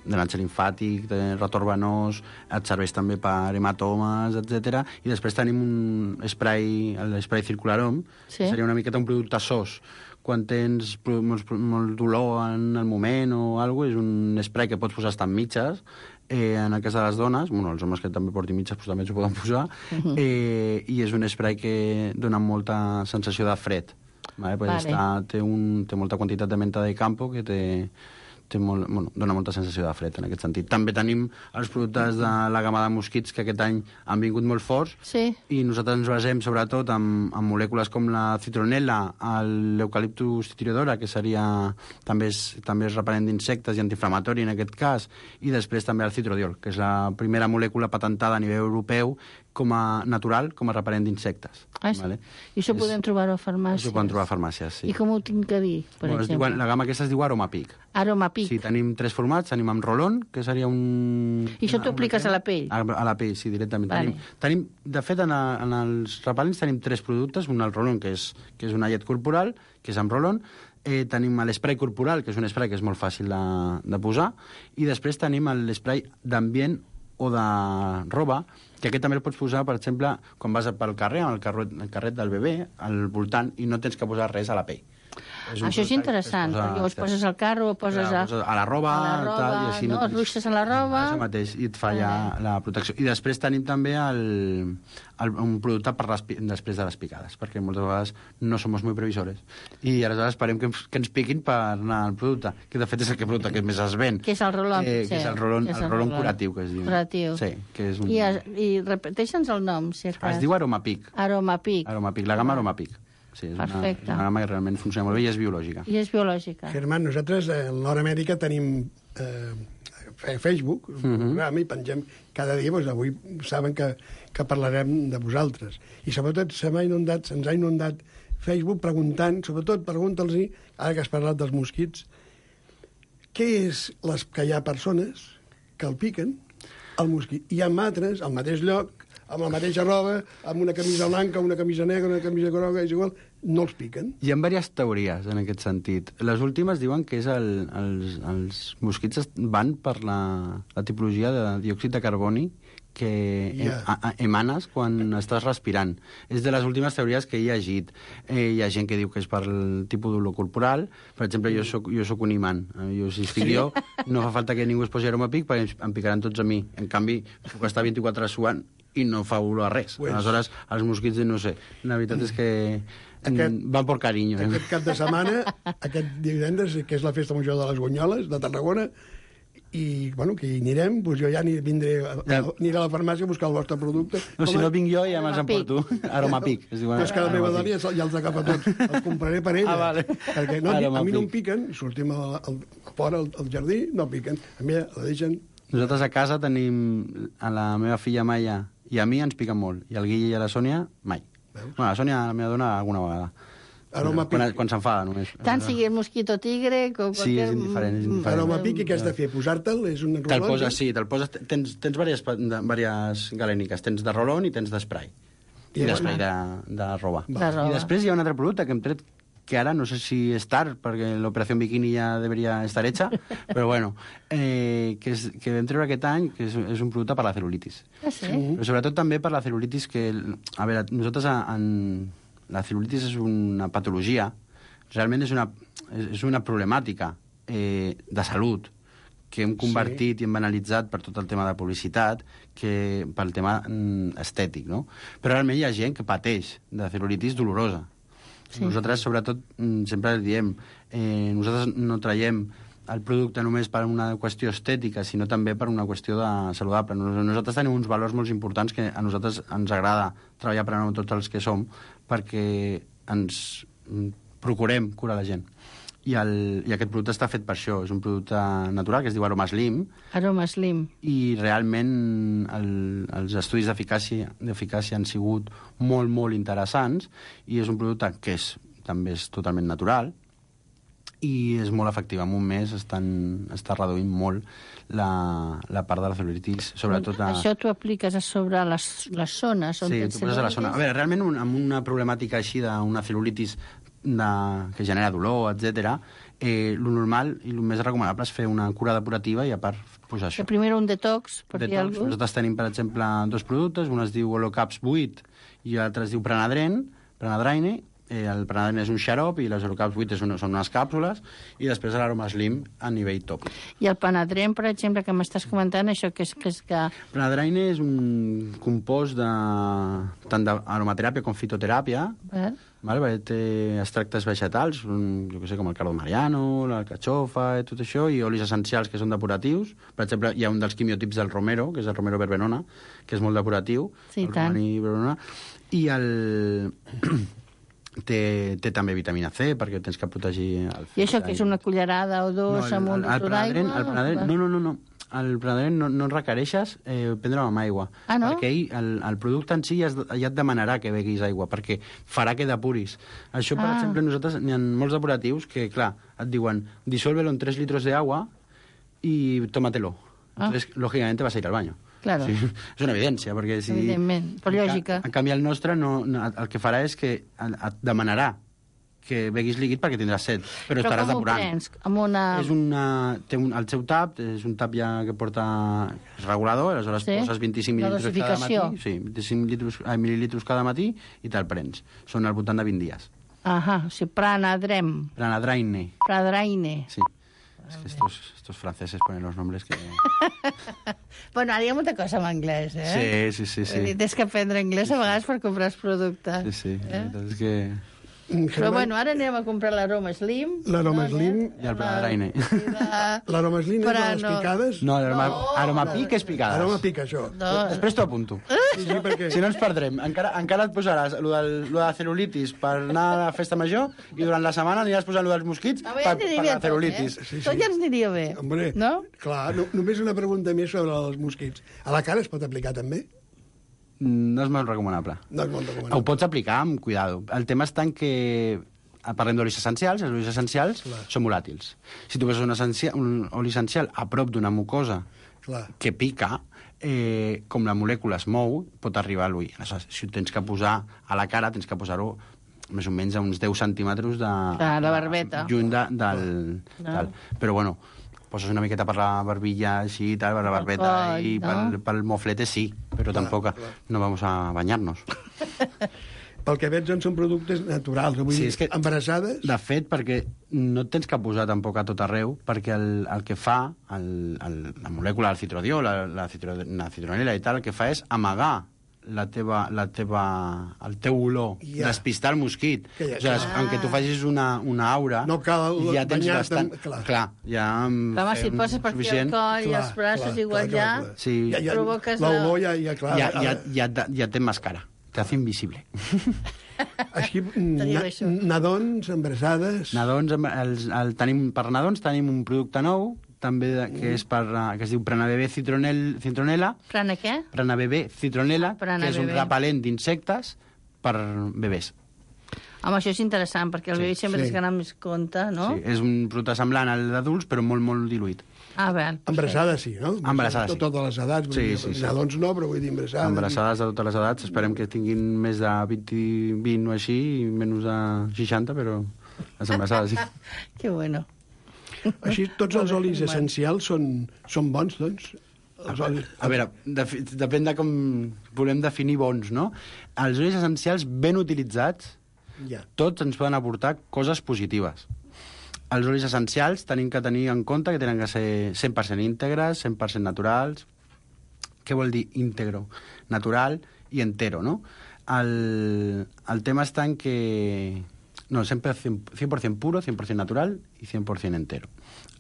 S2: de l'anxa limfàtic, de retorn venós, et serveix també per hematomes, etcètera. I després tenim un spray, l'spray Circularom, sí. que seria una miqueta un producte sos. Quan tens molt, molt dolor en el moment o alguna cosa, és un spray que pots posar estant mitges, eh, en el cas de les dones, bueno, els homes que també portin mitges pues, també s'ho poden posar, uh-huh. eh, i és un spray que dona molta sensació de fred. Vale, pues vale. Està, té, un, té molta quantitat de menta de campo que té, té molt, bueno, dona molta sensació de fred en aquest sentit. També tenim els productes de la gamma de mosquits que aquest any han vingut molt forts
S6: sí.
S2: i nosaltres ens basem sobretot en, en molècules com la citronel·la, l'eucaliptus titridora, que seria també és, també és repel·lent d'insectes i antiinflamatori en aquest cas, i després també el citrodiol, que és la primera molècula patentada a nivell europeu com a natural, com a repel·lent d'insectes.
S6: Ah, vale? I això és, podem trobar-ho a farmàcies?
S2: Això podem trobar a farmàcies, sí.
S6: I com ho tinc que dir, per
S2: bueno,
S6: exemple?
S2: Diu, la gamma aquesta es diu Aromapic.
S6: Aromapic.
S2: Sí, tenim tres formats. Tenim amb rolón, que seria un...
S6: I això t'ho apliques a la pell?
S2: A, a la pell, sí, directament.
S6: Vale.
S2: Tenim, tenim, de fet, en, a, en els repel·lents tenim tres productes. Un, el rolón, que és, que és una llet corporal, que és amb rolón. Eh, tenim l'esprai corporal, que és un esprai que és molt fàcil de, de posar. I després tenim l'esprai d'ambient o de roba, que aquest també el pots posar, per exemple, quan vas pel carrer, amb el carret, el carret del bebè, al voltant, i no tens que posar res a la pell. És un
S6: Això és
S2: producte
S6: interessant,
S2: que es posa-
S6: perquè llavors poses al carro, poses a,
S2: Clar, a la roba,
S6: a la roba,
S2: tal, i així
S6: no?
S2: tens-
S6: Ruixes a la roba.
S2: Això mateix, i et fa ja la protecció. I després tenim també el, el, un producte per les, pi- després de les picades, perquè moltes vegades no som molt previsores. I aleshores esperem que, ens- que ens piquin per anar al producte, que de fet és el que producte que més es ven.
S6: Que és el rolon,
S2: Eh,
S6: sí,
S2: que és el rolon,
S6: que és
S2: el
S6: el
S2: rolon
S6: rolon.
S2: curatiu, que es diu.
S6: Curatiu.
S2: Sí, que és un...
S6: I, i repeteixa'ns el nom, si a cas.
S2: Es diu Aromapic.
S6: Aromapic.
S2: Aromapic, la gamma Aromapic. Sí, és una,
S6: Perfecte.
S2: és una gamma que realment funciona molt bé i és biològica.
S6: I és biològica.
S5: Germán, nosaltres eh, a l'Hora Amèrica tenim eh, fe- Facebook, un
S2: Mhm.
S5: programa, i pengem cada dia, doncs avui saben que, que parlarem de vosaltres. I sobretot se m'ha inundat, se'ns ha inundat Facebook preguntant, sobretot pregunta'ls-hi, ara que has parlat dels mosquits, què és les, que hi ha persones que el piquen, el mosquit, i hi ha altres, al mateix lloc, amb la mateixa roba, amb una camisa blanca, una camisa negra, una camisa groga, és igual, no els piquen.
S2: Hi ha diverses teories en aquest sentit. Les últimes diuen que és el, els, els mosquits est- van per la, la tipologia de diòxid de carboni que
S5: Ja.
S2: em, a, a, emanes quan estàs respirant. És de les últimes teories que he llegit. Eh, hi ha gent que diu que és per el tipus d'olor corporal. Per exemple, jo soc, jo soc un imant. Eh, Jo, si estic jo, no fa falta que ningú es posi aromapic perquè em picaran tots a mi. En canvi, puc estar vint-i-quatre hores suant i no fa olor a res.
S5: Pues-
S2: Aleshores, els mosquits, no sé. La veritat és que
S5: Aquest-
S2: aquest, van per carinyo. Eh?
S5: Aquest cap de setmana, aquest divendres, que és la festa major de les Gunyoles, de Tarragona, i, bueno, que hi anirem, doncs jo ja ni vindré, a,
S2: Ja.
S5: aniré a la farmàcia a buscar el vostre producte.
S2: No, si
S5: Home,
S2: no vinc jo ja me'ls emporto. Aromapic. Es diu,
S5: però és que la meva dona ja, ja els agafa tots. Els compraré per ella.
S2: Ah, vale.
S5: Perquè no, a mi no em
S2: Aromapic.
S5: piquen, sortim a, a, a fora, al, al jardí, no piquen. A mi la deixen...
S2: Nosaltres a casa tenim a la meva filla Maia i a mi ens piquen molt. I al Guille i a la Sònia, mai.
S5: Veus?
S2: Bueno, la Sònia, la meva dona, alguna vegada.
S5: Aromapic.
S2: Quan, quan s'enfada, només.
S6: Tant sigui el mosquito tigre com...
S2: Sí, és indiferent, és indiferent.
S5: Aromapic, i què has de fer? Posar-te'l? És un
S2: Te'l
S5: rolon?
S2: poses, sí, te'l poses... Tens, tens diverses, diverses galèniques. Tens de rolon i tens d'esprai.
S5: I
S2: I d'esprai de, de roba.
S6: De roba.
S2: I després hi ha un altre producte que hem tret que ara no sé si és tard, perquè l'operació Bikini ja deberia estar hecha, però bueno, eh, que, és, que vam treure aquest any, que és, és un producte per la celulitis.
S6: Ah, sí?
S2: Però sobretot també per la celulitis, que, a veure, nosaltres en, la celulitis és una patologia, realment és una, és una problemàtica eh, de salut, que hem convertit sí. i hem banalitzat per tot el tema de publicitat, que pel tema mm, estètic, no? Però realment hi ha gent que pateix de celulitis dolorosa. Sí. Nosaltres, sobretot, mm, sempre diem, eh, nosaltres no traiem el producte només per una qüestió estètica, sinó també per una qüestió de saludable. Nosaltres tenim uns valors molt importants que a nosaltres ens agrada treballar per amb tots els que som, perquè ens procurem curar la gent. I, el, I aquest producte està fet per això. És un producte natural que es diu Aroma Slim.
S6: Aroma Slim.
S2: I realment el, els estudis d'eficàcia d'eficàcia han sigut molt, molt interessants, i és un producte que és, també és totalment natural, i és molt efectiu. En un mes estan, està reduint molt la, la part de la celulitis, sobretot a...
S6: Això t'ho apliques a sobre les, les zones on
S2: Sí,
S6: tens
S2: tu poses a la zona. A veure, realment un, amb una problemàtica així d'una celulitis de, que genera dolor, etcètera, eh, lo normal i el més recomanable és fer una cura depurativa i a part posar això.
S6: Que primer un detox, per dir
S2: Detox.
S6: alguna cosa.
S2: Nosaltres tenim, per exemple, dos productes. Un es diu Holocaps vuit i l'altre es diu Prenadren, Prenadraine. Eh, el Prenadren és un xarop i les Holocaps vuit és una, són unes càpsules, i després l'Aroma Slim a nivell top.
S6: I el Panadrem, per exemple, que m'estàs comentant, això que és que... És que...
S2: Prenadraine és un compost de, tant d'aromateràpia com fitoteràpia,
S6: Eh?
S2: vale? Perquè té extractes vegetals, un, jo que sé, com el cardo mariano, l'alcachofa i tot això, i olis essencials que són depuratius. Per exemple, hi ha un dels quimiotips del romero, que és el romero verbenona, que és molt depuratiu.
S6: Sí,
S2: el
S6: tant.
S2: romaní verbenona. I el... té, té també vitamina C, perquè tens que protegir... El
S6: I això que és una cullerada o dos
S2: no,
S6: amb un
S2: el, el,
S6: litre
S2: Prenadren,
S6: d'aigua?
S2: el Prenadren, no, no, no, no. El Prenadren no, no requereixes eh, prendre-ho amb aigua.
S6: Ah, no?
S2: Perquè ell, el, el producte en si ja, es, ja et demanarà que beguis aigua, perquè farà que depuris. Això, per
S6: Ah.
S2: exemple, nosaltres n'hi ha molts depuratius que, clar, et diuen disuélvelo en tres litros de agua y tómatelo.
S6: Ah.
S2: Entonces, lógicamente vas a ir al baño.
S6: Claro.
S2: Sí, és una evidència, perquè si...
S6: Evidentment, per lògica.
S2: En canvi, el nostre no, no, el que farà és que et demanarà que beguis líquid perquè tindràs set, però,
S6: Però
S2: estaràs
S6: com ho
S2: depurant.
S6: prens? Amb una...
S2: És una, té un, el seu tap, és un tap ja que porta... és regulador, aleshores
S6: Sí.
S2: poses vint-i-cinc
S6: La
S2: mil·lílitres cada
S6: dosificació.
S2: matí. Sí, vint-i-cinc litros, eh, mil·lílitres cada matí i te'l prens. Són al voltant de vint dies.
S6: Ajá, o sigui, Pranadrem.
S2: Pranadraine.
S6: Pradraine.
S2: Sí. Es que estos, estos franceses ponen los nombres que...
S6: Bueno, ara hi ha molta cosa en anglès, eh?
S2: Sí, sí, sí. sí.
S6: Vull dir, tens que aprendre anglès a vegades per comprar els productes.
S2: Sí, sí.
S6: Eh?
S2: És que...
S6: Però bueno, ara anirem a comprar l'aroma Slim.
S5: L'aroma Slim.
S2: I el Pranadraine.
S5: L'aroma Slim és
S6: Però
S5: de les
S6: no.
S5: picades?
S2: No, aroma, aroma pic és picades.
S5: Aroma pic, això.
S6: No.
S2: Després t'ho apunto.
S5: Sí, sí, perquè...
S2: Si no ens perdrem. Encara, encara et posaràs lo, del, lo de la celulitis per anar a la festa major i durant la setmana aniràs posant lo dels mosquits
S6: A
S2: per,
S6: veure,
S2: per
S6: aniria
S2: la
S6: tot,
S2: celulitis.
S6: eh?
S5: Sí, sí.
S6: Tot ja ens aniria bé,
S5: Hombre,
S6: no?
S5: clar, no, només una pregunta més sobre els mosquits. A la cara es pot aplicar també?
S2: No és molt recomanable.
S5: No és molt
S2: Ho
S5: recomanable.
S2: pots aplicar amb cuidado. El tema està en que parlem d'olis essencials, els olis essencials
S5: Clar.
S2: són volàtils. Si tu veus un, essencial, un oli essencial a prop d'una mucosa
S5: Clar.
S2: que pica, eh, com la molècula es mou, pot arribar a l'ull. Aleshores, si ho tens que posar a la cara, tens que posar-ho més o menys a uns deu centímetres de...
S6: De la barbeta.
S2: Lluny de, del...
S6: No.
S2: Tal. Però, bueno, poses una miqueta per la barbilla, així, tal, per la barbeta,
S6: coll,
S2: i
S6: no?
S2: pel, pel moflete sí, però
S5: Clar,
S2: tampoc
S5: clar.
S2: no vamos a bañarnos.
S5: Pel que veig, doncs, són productes naturals. Vull
S2: Sí,
S5: dir,
S2: és que-
S5: embarassades...
S2: De fet, perquè no et tens que posar tampoc a tot arreu, perquè el, el que fa, el, el, la molècula del citrodiol, la, la, citro, la citronela i tal, el que fa és amagar la teva, la teva, el teu olor,
S5: Ja.
S2: despistar el mosquit.
S5: Que ja-
S2: o sigui,
S5: ah.
S2: aunque tu facis una, una aura,
S5: No cal
S2: ja tens
S5: banyar-te
S2: bastant...
S5: amb- clar.
S2: clar, ja amb
S6: Clar, home, si
S2: fem
S6: poses per aquí el
S2: suficient.
S6: coll i els braços igual ja...
S2: Sí.
S5: ja, ja,
S6: provoques
S5: l'olor
S6: la-
S5: ja, ja, clar.
S2: Ja, ja,
S5: ara-
S2: ja, ja, ja té mascara, te hace invisible.
S5: Així,
S6: Teniu
S5: na,
S6: això.
S5: nadons, embarassades...
S2: Nadons, em- els, el, tenim, per nadons tenim un producte nou, també de, que, és per, eh, que es diu Pranabebé citronel, citronela,
S6: Prana què?
S2: Pranabebé citronela,
S6: Prana
S2: que és un
S6: bebé.
S2: repel·lent d'insectes per bebès.
S6: Home, això és interessant, perquè el
S2: Sí,
S6: bebè sempre
S5: sí.
S6: tens que anar amb més compte, no?
S2: Sí, és un producte semblant al d'adults, però molt, molt diluït.
S6: Ah, bé.
S5: Embarassades sí, no?
S2: Embarassades, sí.
S5: Tot, totes les edats. vull
S2: Sí,
S5: dir,
S2: sí, sí.
S5: Nadons no, però vull dir embarassades.
S2: Embarassades de totes les edats, esperem que tinguin més de vint, vint o així, i menys de seixanta, però les embarassades sí.
S6: Que bueno.
S5: Així, tots els olis essencials són, són bons, doncs? Els olis...
S2: A veure, de, depèn de com volem definir bons, no? Els olis essencials ben utilitzats,
S5: Ja.
S2: tots ens poden aportar coses positives. Els olis essencials tenim que tenir en compte que tenen que ser cent per cent íntegres, cent per cent naturals. Què vol dir íntegro? Natural i entero, no? El, el tema està en que... No, sempre cent per cent puro, cent per cent natural i cent per cent entero.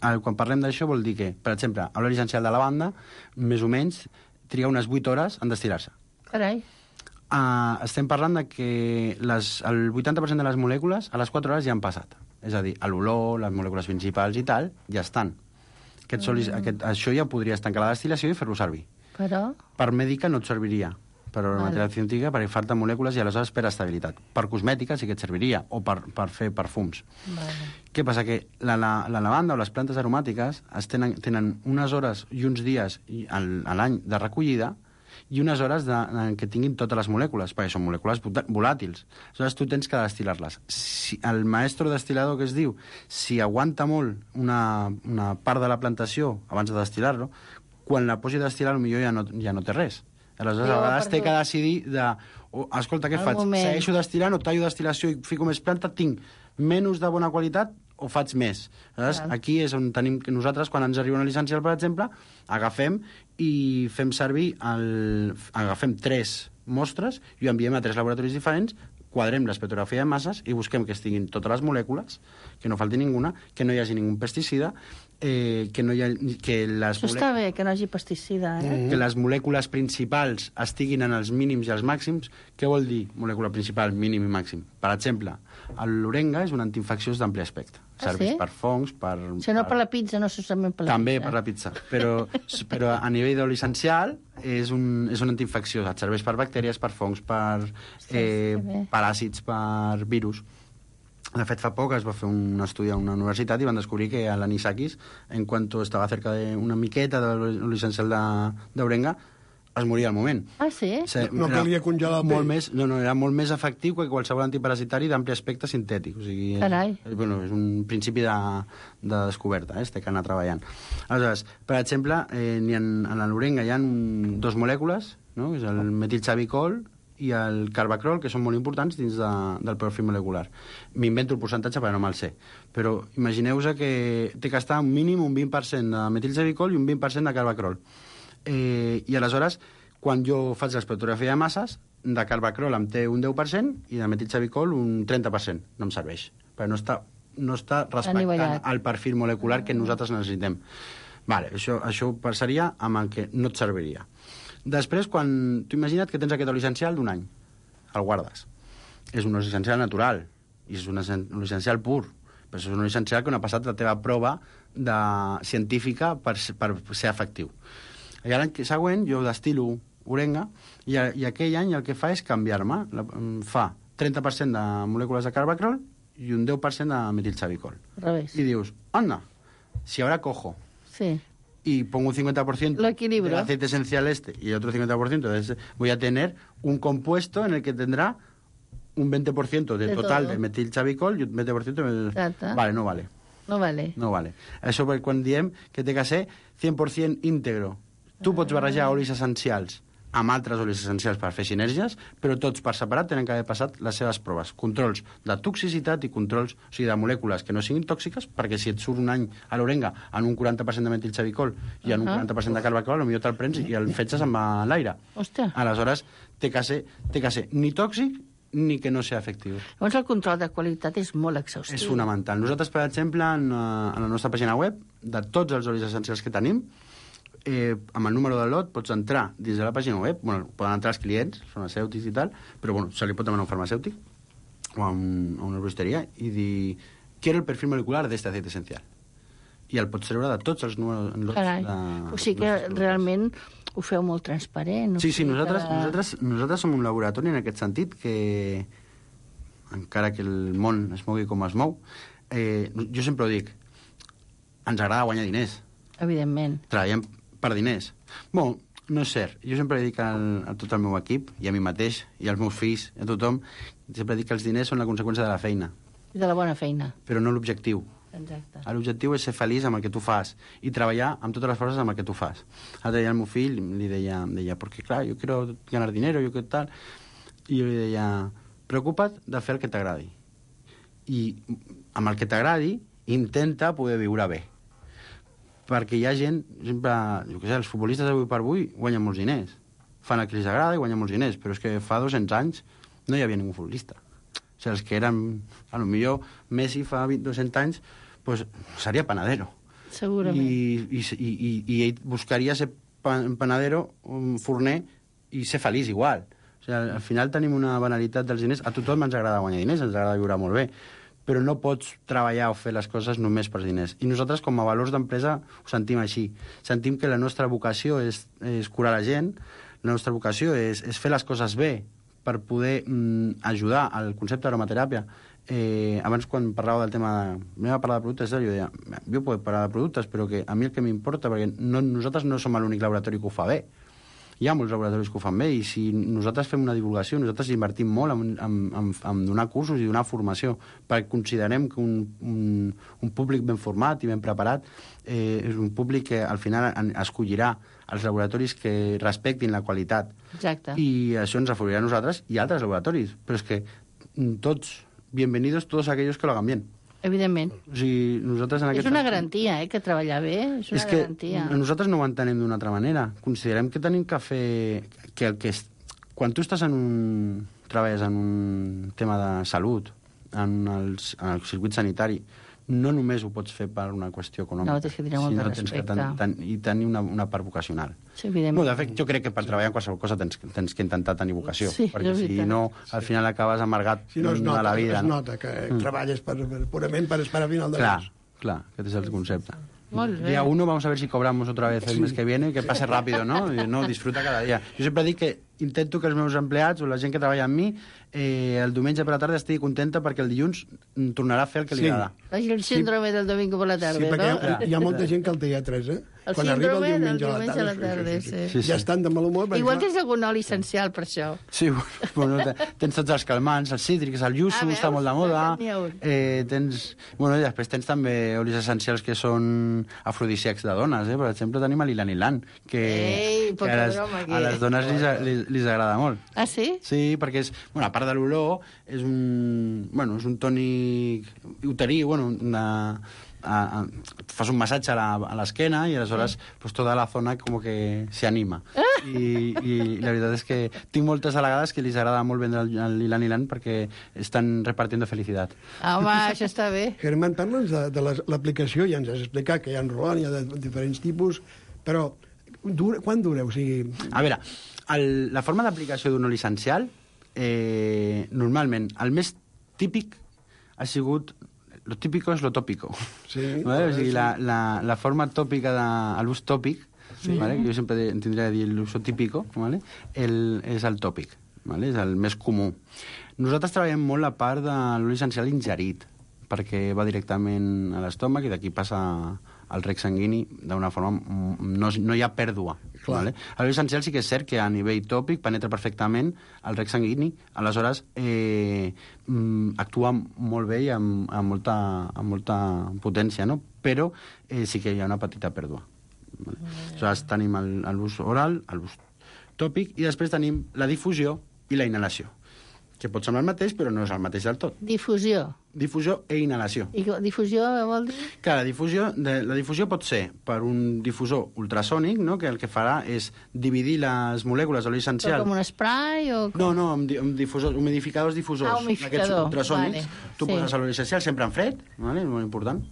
S2: El, quan parlem d'això vol dir que, per exemple, l'oli essencial de lavanda, més o menys, triga unes vuit hores en destil·lar-se.
S6: Carai.
S2: Uh, estem parlant de que les, el vuitanta per cent de les molècules a les quatre hores ja han passat. És a dir, l'olor, les molècules principals i tal, ja estan. Aquest solis, mm. aquest, això ja podries tancar la destil·lació i fer-lo servir.
S6: Però...
S2: Per mèdica no et serviria, per vale. Material científica, perquè falta molècules i aleshores per estabilitat. Per cosmètica sí que et serviria, o per, per fer perfums.
S6: Vale.
S2: Què passa? Que la, la, la lavanda o les plantes aromàtiques es tenen, tenen unes hores i uns dies al, a l'any de recollida i unes hores de, en què tinguin totes les molècules, perquè són molècules volàtils. Aleshores, tu tens que destil·lar-les. Si el maestro destil·lador que es diu, si aguanta molt una, una part de la plantació abans de destil·lar-lo, quan la posi a destil·lar, potser ja no, ja no té res. Aleshores,
S6: Jo,
S2: a vegades té
S6: perdó.
S2: que decidir de... Oh, escolta, què
S6: Al
S2: faig?
S6: moment.
S2: Segueixo destil·lant o tallo destil·lació i fico més planta? Tinc menys de bona qualitat o faig més? Aleshores,
S6: Clar.
S2: aquí és on tenim que nosaltres, quan ens arriba una licencial, per exemple, agafem i fem servir el... agafem tres mostres i ho enviem a tres laboratoris diferents, quadrem l'espectrografia de masses i busquem que estiguin totes les molècules, que no falti ninguna, que no hi hagi ningú pesticida, eh, que, no hi ha, que, les
S6: Això està bé, que no hi hagi pesticida, eh?
S2: que les molècules principals estiguin en els mínims i els màxims. Què vol dir molècula principal, mínim i màxim? Per exemple, l'orenga és un antiinfecciós d'ampli espectre.
S6: Ah,
S2: Serveix
S6: sí?
S2: per fongs, per...
S6: Si no per la pizza, no solament per la
S2: També
S6: pizza.
S2: per la pizza, però, però a nivell d'oli essencial és un, és un antiinfecció, et serveix per bactèries, per fongs, per eh,
S6: que bé.
S2: paràsits, per virus. De fet, fa poc es va fer un estudi a una universitat i van descobrir que l'anisakis, en quant estava cerca d'una miqueta de l'oli essencial d'orenga, es moria al moment.
S6: Ah, sí?
S2: Sí,
S5: No
S2: era
S5: calia congelar el pell.
S2: molt més, no, no, era molt més efectiu que qualsevol antiparasitari d'ampli aspecte sintètic. O sigui,
S6: Carai.
S2: És, bueno, és un principi de, de descoberta, eh? Es té que anar treballant. Aleshores, per exemple, eh, ha, en l'orenga hi ha un, dos molècules, no? És el metilxavicol i el carbacrol, que són molt importants dins de, del perfil molecular. M'invento el percentatge perquè no me'l sé. Però imagineu-vos que té que estar un mínim un vint per cent de metilxavicol i un vint per cent de carbacrol. Eh, I aleshores, quan jo faig l'espectrografia de masses, de carbacrol em té un deu per cent i de metilxavicol un trenta per cent. No em serveix, perquè no està, no està respectant el perfil molecular que nosaltres necessitem. Vale, això, això passaria amb el que no et serviria. Després, quan tu imagina't que tens aquest oli essencial d'un any, el guardes. És un oli essencial natural, i és un oli essencial pur, però és un oli essencial que no ha passat la teva prova de... científica per, per ser efectiu. I l'any següent jo destilo orenga, i, i aquell any el que fa és canviar-me. Fa trenta per cent de molècules de carbacrol i un deu per cent de metilxavicol. I dius, anda, si ahora cojo
S6: sí.
S2: y pongo un cincuenta por ciento del aceite esencial este y otro cincuenta por ciento de ese, voy a tener un compuesto en el que tendrá un veinte por ciento de, de total todo. De metilxavicol y un veinte por ciento de... Vale, no vale.
S6: No vale.
S2: No vale. Això perquè quan diem que té que ser cent per cent íntegro. Tu pots barrejar olis essencials amb altres olis essencials per fer sinergies, però tots per separat tenen que haver passat les seves proves. Controls de toxicitat i controls, o sigui, de molècules que no siguin tòxiques, perquè si et surt un any a l'orenga en un quaranta per cent de metilxavicol i en un quaranta per cent de carbacrol, potser te'l prens i el fetges amb l'aire.
S6: Hòstia.
S2: Aleshores, té que ser, té que ser ni tòxic ni que no sigui efectiu.
S6: Llavors el control de qualitat és molt exhaustiu.
S2: És fonamental. Nosaltres, per exemple, en, en la nostra pàgina web, de tots els olis essencials que tenim, Eh, amb el número de lot pots entrar dins de la pàgina web, bueno, poden entrar els clients farmacèutics i tal, però bueno, se li pot demanar a un farmacèutic o a, un, a una herboristeria i dir, quiero el perfil molecular de este aceite esencial, i el pots treure de tots els números lots.
S6: Carai,
S2: de,
S6: o sigui que realment ho feu molt transparent.
S2: Sí, sí, nosaltres, que... nosaltres, nosaltres som un laboratori en aquest sentit que, encara que el món es mogui com es mou, eh, jo sempre ho dic, ens agrada guanyar diners.
S6: Evidentment.
S2: Treballem per diners. Bon, no és cert. Jo sempre dic al, a tot el meu equip, i a mi mateix, i als meus fills, i a tothom, sempre dic que els diners són la conseqüència de la feina.
S6: I de la bona feina.
S2: Però no l'objectiu.
S6: Exacte.
S2: L'objectiu és ser feliç amb el que tu fas i treballar amb totes les coses amb el que tu fas. Ara deia al meu fill, li deia, deia perquè clar, jo quiero ganar dinero, jo que tal, i jo li deia, preocupa't de fer el que t'agradi. I amb el que t'agradi, intenta poder viure bé. Perquè hi ha gent, sempre, jo què sé, els futbolistes d'avui per avui guanyen molts diners. Fan el que els agrada i guanyen molts diners, però és que fa dos-cents anys no hi havia ningú futbolista. O sigui, els que eren, a lo millor Messi fa dos-cents anys, pues, seria panadero.
S6: Segurament.
S2: I, i, i, i ell buscaria ser panadero, un forner, i ser feliç igual. O sigui, al final tenim una banalitat dels diners. A tothom ens agrada guanyar diners, ens agrada viure molt bé, però no pots treballar o fer les coses només per diners. I nosaltres, com a valors d'empresa, ho sentim així. Sentim que la nostra vocació és, és curar la gent, la nostra vocació és, és fer les coses bé per poder mm, ajudar al concepte d'aromateràpia. Eh, abans, quan parlava del tema de... Anem a parlar de productes, jo deia, jo puc parlar de productes, però que a mi el que m'importa, perquè no, nosaltres no som l'únic laboratori que ho fa bé. Hi ha molts laboratoris que ho fan bé, i si nosaltres fem una divulgació, nosaltres invertim molt en, en, en, en donar cursos i donar formació, perquè considerem que un, un, un públic ben format i ben preparat eh, és un públic que al final escollirà els laboratoris que respectin la qualitat.
S6: Exacte.
S2: I això ens afavorirà a nosaltres i a altres laboratoris. Però és que tots, bienvenidos todos aquellos que lo hagan bien.
S6: Evidentment.
S2: O sigui, nosaltres en
S6: és una garantia, eh, que treballar bé és una
S2: és que
S6: garantia.
S2: Nosaltres no ho entenem d'una altra manera. Considerem que tenim que fer... Que el que és... Quan tu estàs en un... treballes en un tema de salut, en, els, en el circuit sanitari, no només ho pots fer per una qüestió econòmica.
S6: No, tens que tenir molt de respecte.
S2: Ten, ten, I tenir una, una part vocacional.
S6: Sí, evidentment.
S2: No, de fet, jo crec que per treballar en qualsevol cosa tens, tens que intentar tenir vocació,
S6: sí,
S2: perquè si no, al final acabes amargat
S5: si no, es nota,
S2: a la vida.
S5: Es nota que mm. treballes per, per, purament per esperar a final de
S2: clar,
S5: mes.
S2: Clar, aquest és el concepte.
S6: Molt bé.
S2: Día uno, vamos a ver si cobramos otra vez el mes que viene, que pase rápido, ¿no? Y, no, disfruta cada día. Jo sempre dic que intento que els meus empleats o la gent que treballa amb mi eh, el diumenge per la tarda estigui contenta perquè el dilluns tornarà a fer el que li
S5: sí.
S2: agrada.
S6: El síndrome sí. del domingo per la tarda,
S5: sí,
S6: no?
S5: Hi ha, hi ha molta gent que el té a tres, eh?
S6: El
S5: Quan
S6: síndrome
S5: arriba el diumenge,
S6: del diumenge
S5: a la tarda,
S6: a la tarda, sí.
S5: sí, sí. Ja estan de mal humor.
S6: Igual
S5: clar...
S6: tens algun oli essencial per això.
S2: Sí, bueno, tens tots els calmants, els cítrics, el yuzu, ah, està molt de moda. Eh, tens... Bueno, i després tens també olis essencials que són afrodisíacs de dones, eh? Per exemple, tenim l'ilanilan, que,
S6: Ei,
S2: que a, les, a les dones li, li, li agrada molt.
S6: Ah, sí?
S2: Sí, perquè és... Bueno, a part de l'olor, és un... Bueno, és un tònic uterí, bueno, una... A, a, fas un massatge a la- a l'esquena i aleshores sí. pues, tota la zona com que se anima.
S6: Ah!
S2: I, I la veritat és que tinc moltes delegades que li agrada molt vendre el, el Ilan Ilan perquè estan repartiendo felicitat.
S6: Home, això està bé.
S5: Germán, parla'ns de, de les- l'aplicació, ja ens has explicat que hi ha Roland, hi ha de diferents tipus, però dura, quan dura? O sigui,
S2: A veure, el, la forma d'aplicació d'un oli essencial, eh, normalment, el més típic ha sigut... Lo típico es lo tópico.
S5: Sí,
S2: ¿Vale? O sigui,
S5: sí.
S2: la, la, la forma tòpica de l'ús tòpic, sí. ¿Vale? Que jo sempre de- tindria de dir l'uso típico, ¿vale? el, és el tòpic, ¿vale? És el més comú. Nosaltres treballem molt la part de l'oli essencial ingerit, perquè va directament a l'estómac i d'aquí passa al rec sanguini d'una forma... No, no hi ha pèrdua. Vale? L'oli essencial sí que és cert que a nivell tòpic penetra perfectament al rec sanguini, aleshores eh, mm, actua molt bé i amb, amb, molta, amb molta potència, no? Però eh, sí que hi ha una petita pèrdua. Vale? Aleshores tenim el- l'ús oral, l'ús tòpic, i després tenim la difusió i la inhalació, que pot semblar el mateix, però no és el mateix del tot.
S6: Difusió.
S2: Difusió e inhalació.
S6: I difusió vol dir?
S2: Clar, la difusió, de, la difusió pot ser per un difusor ultrasònic, no?, que el que farà és dividir les molècules de l'oli
S6: Però
S2: essencial.
S6: com un spray o... Com...
S2: No, no, amb, di- amb difusors, humidificadors difusors.
S6: Ah, humidificador,
S2: Aquests ultrasònics.
S6: vale,
S2: Tu
S6: sí.
S2: poses l'oli essencial sempre en fred, vale? És molt important.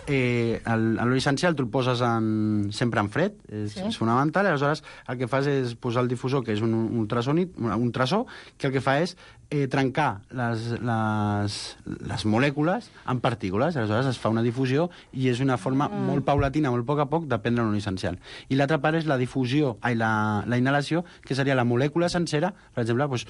S2: Eh, el- L'oli essencial tu el poses en, sempre en fred, és,
S6: Sí.
S2: és fonamental, i aleshores el que fas és posar el difusor, que és un, un ultrasònic, un ultrasó, que el que fa és eh, trencar les, les, les molècules en partícules, aleshores es fa una difusió i és una forma mm. molt paulatina, molt a poc a poc, de prendre l'oli essencial. I l'altra part és la difusió, ai, la, la inhalació, que seria la molècula sencera, per exemple, doncs,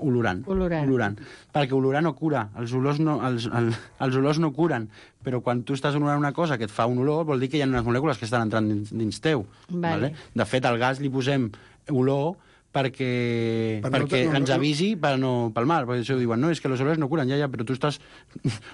S2: olorant.
S6: Olorant.
S2: olorant. Perquè olorar no cura, els olors no, els, el, els olors no curen, però quan tu estàs olorant una cosa que et fa un olor, vol dir que hi ha unes molècules que estan entrant dins, dins teu.
S6: Vale.
S2: De fet, al gas li posem olor perquè,
S5: Per no-
S2: perquè
S5: no-
S2: ens
S5: no-
S2: avisi per no palmar, perquè això diuen, no, és que los olores no curan, ja, ja, però tu estàs,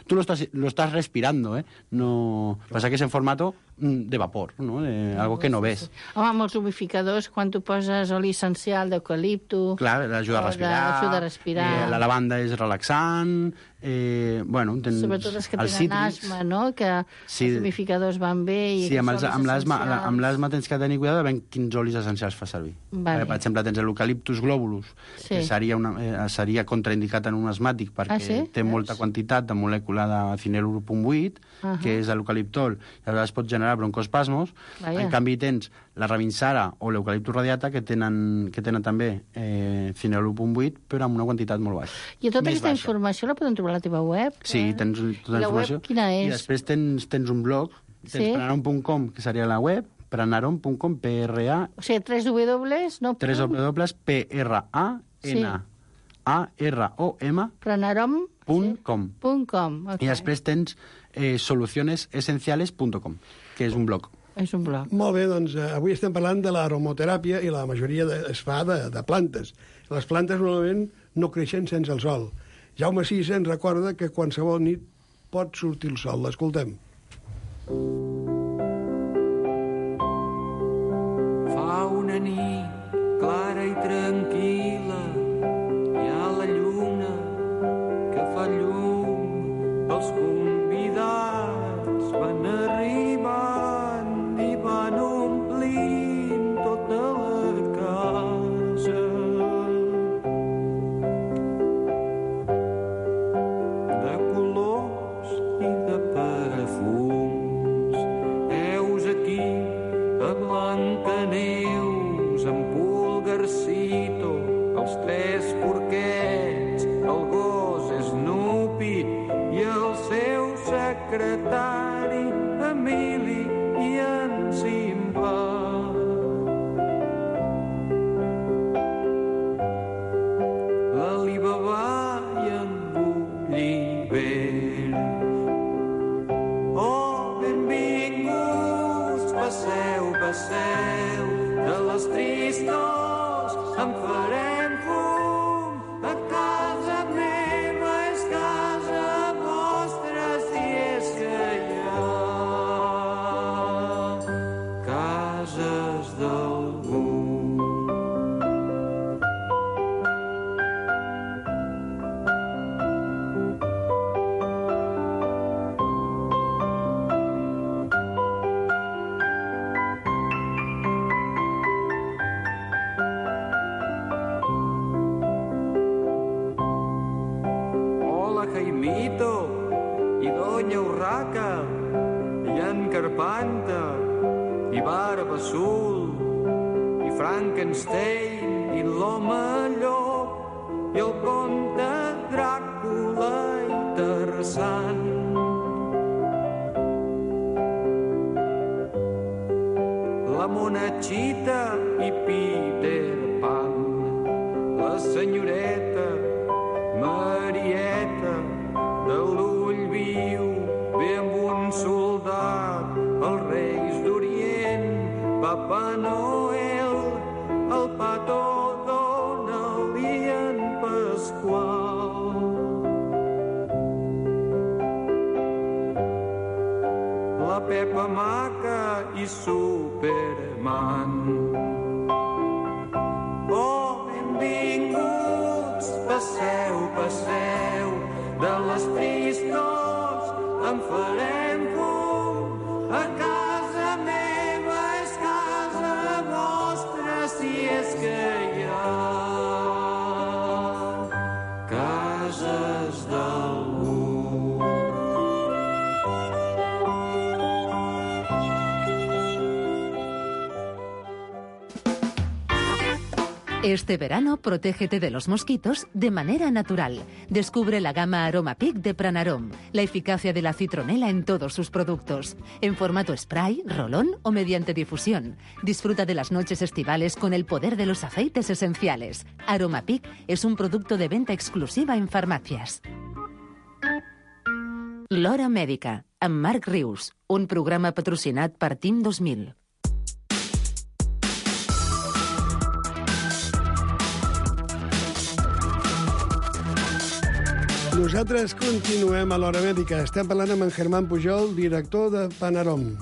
S2: tu lo estás, lo estás respirando, eh? No, passa que és en formato mm, de vapor, no? De, algo que no ves.
S6: Home, amb els humidificadors, quan tu poses oli essencial d'eucalipto...
S2: Clar, l'ajuda a
S6: o de-
S2: respirar,
S6: ajuda a respirar.
S2: Eh, la lavanda és relaxant, eh, bueno... Tens
S6: Sobretot els que
S2: els
S6: tenen
S2: cítrics.
S6: asma, no?, que
S2: Sí.
S6: els humidificadors van bé... I
S2: Sí, amb, els,
S6: aquests
S2: amb
S6: olis
S2: l'asma
S6: essencials.
S2: amb l'asma tens que tenir cuidado de veure quins olis essencials fa servir.
S6: Vale.
S2: Eh, Per exemple, tens l'eucaliptus globulus,
S6: Sí.
S2: que seria, una, eh, seria contraindicat en un asmàtic perquè
S6: Ah, sí?
S2: té molta quantitat de molècula de cinèl·lur punt vuit,
S6: Ahà.
S2: que és l'eucaliptol, i aleshores pot generar broncoespasmos.
S6: Vaja.
S2: En canvi, tens la rabinsara o l'eucaliptus radiata, que tenen, que tenen també eh, cinèl·lur punt vuit, però amb una quantitat molt baixa.
S6: I tota
S2: Més
S6: aquesta
S2: baixa.
S6: informació la podem trobar a la teva web?
S2: Sí,
S6: eh?
S2: tens tota
S6: I
S2: la
S6: la web
S2: informació.
S6: quina és?
S2: I després tens, tens un blog, tens
S6: Sí.
S2: pranarom punt com, que seria la web, pranarom punt com, P R A,
S6: O sigui, tres W, no?
S2: tres dobles P R A N A R O M
S6: Pranarom
S2: punt com.
S6: punt com. Okay.
S2: I després tens eh, soluciones esenciales punt com, que és un blog.
S6: És un blog.
S5: molt bé, doncs eh, avui estem parlant de l'aromoteràpia i la majoria de, es fa de, de plantes. Les plantes normalment no creixen sense el sol. Jaume Sisa ens recorda que qualsevol nit pot sortir el sol. L'escoltem.
S7: Fa una nit clara i tranquil·la, hi ha la lluna que fa llum, els convidats van arribant i van omplint tota la casa. De colors i de perfums, heus aquí a Blancaneus, en Pulgarcito, els tres porquets, el gos Snoopy i el seu secretari Emili i en Simba. L'Alibaba i en Gulliver. Oh, benvinguts, passeu, passeu, de les tristors en farem fum. A casa meva és casa vostra, si és que hi ha cases d'algú. Fanta i Barba Azul i Frankenstein i l'Home Llop i el conte Dràcula interessant. La Monachita i Peter Pan, la senyoreta Marieta de l'ull viu ve amb un soldat, els Reis d'Orient, Papa Noel, el Pato Donald i en Pasqual. La Pepa Maca i Superman. Oh, benvinguts, passeu, passeu, de les tristors en farem fum. A casa meva és casa vostra, si és que hi ha cases d'algú.
S4: Este verano, protégete de los mosquitos de manera natural. Descubre la gama Aroma Peak de Pranarom, la eficacia de la citronela en todos sus productos. En formato spray, rolón o mediante difusión. Disfruta de las noches estivales con el poder de los aceites esenciales. Aroma Peak es un producto de venta exclusiva en farmacias. L'Hora Mèdica, amb Marc Rius, un programa patrocinat per Team dos mil.
S5: Nosaltres continuem a l'Hora Mèdica. Estem parlant amb en Germán Pujol, director de Panarom.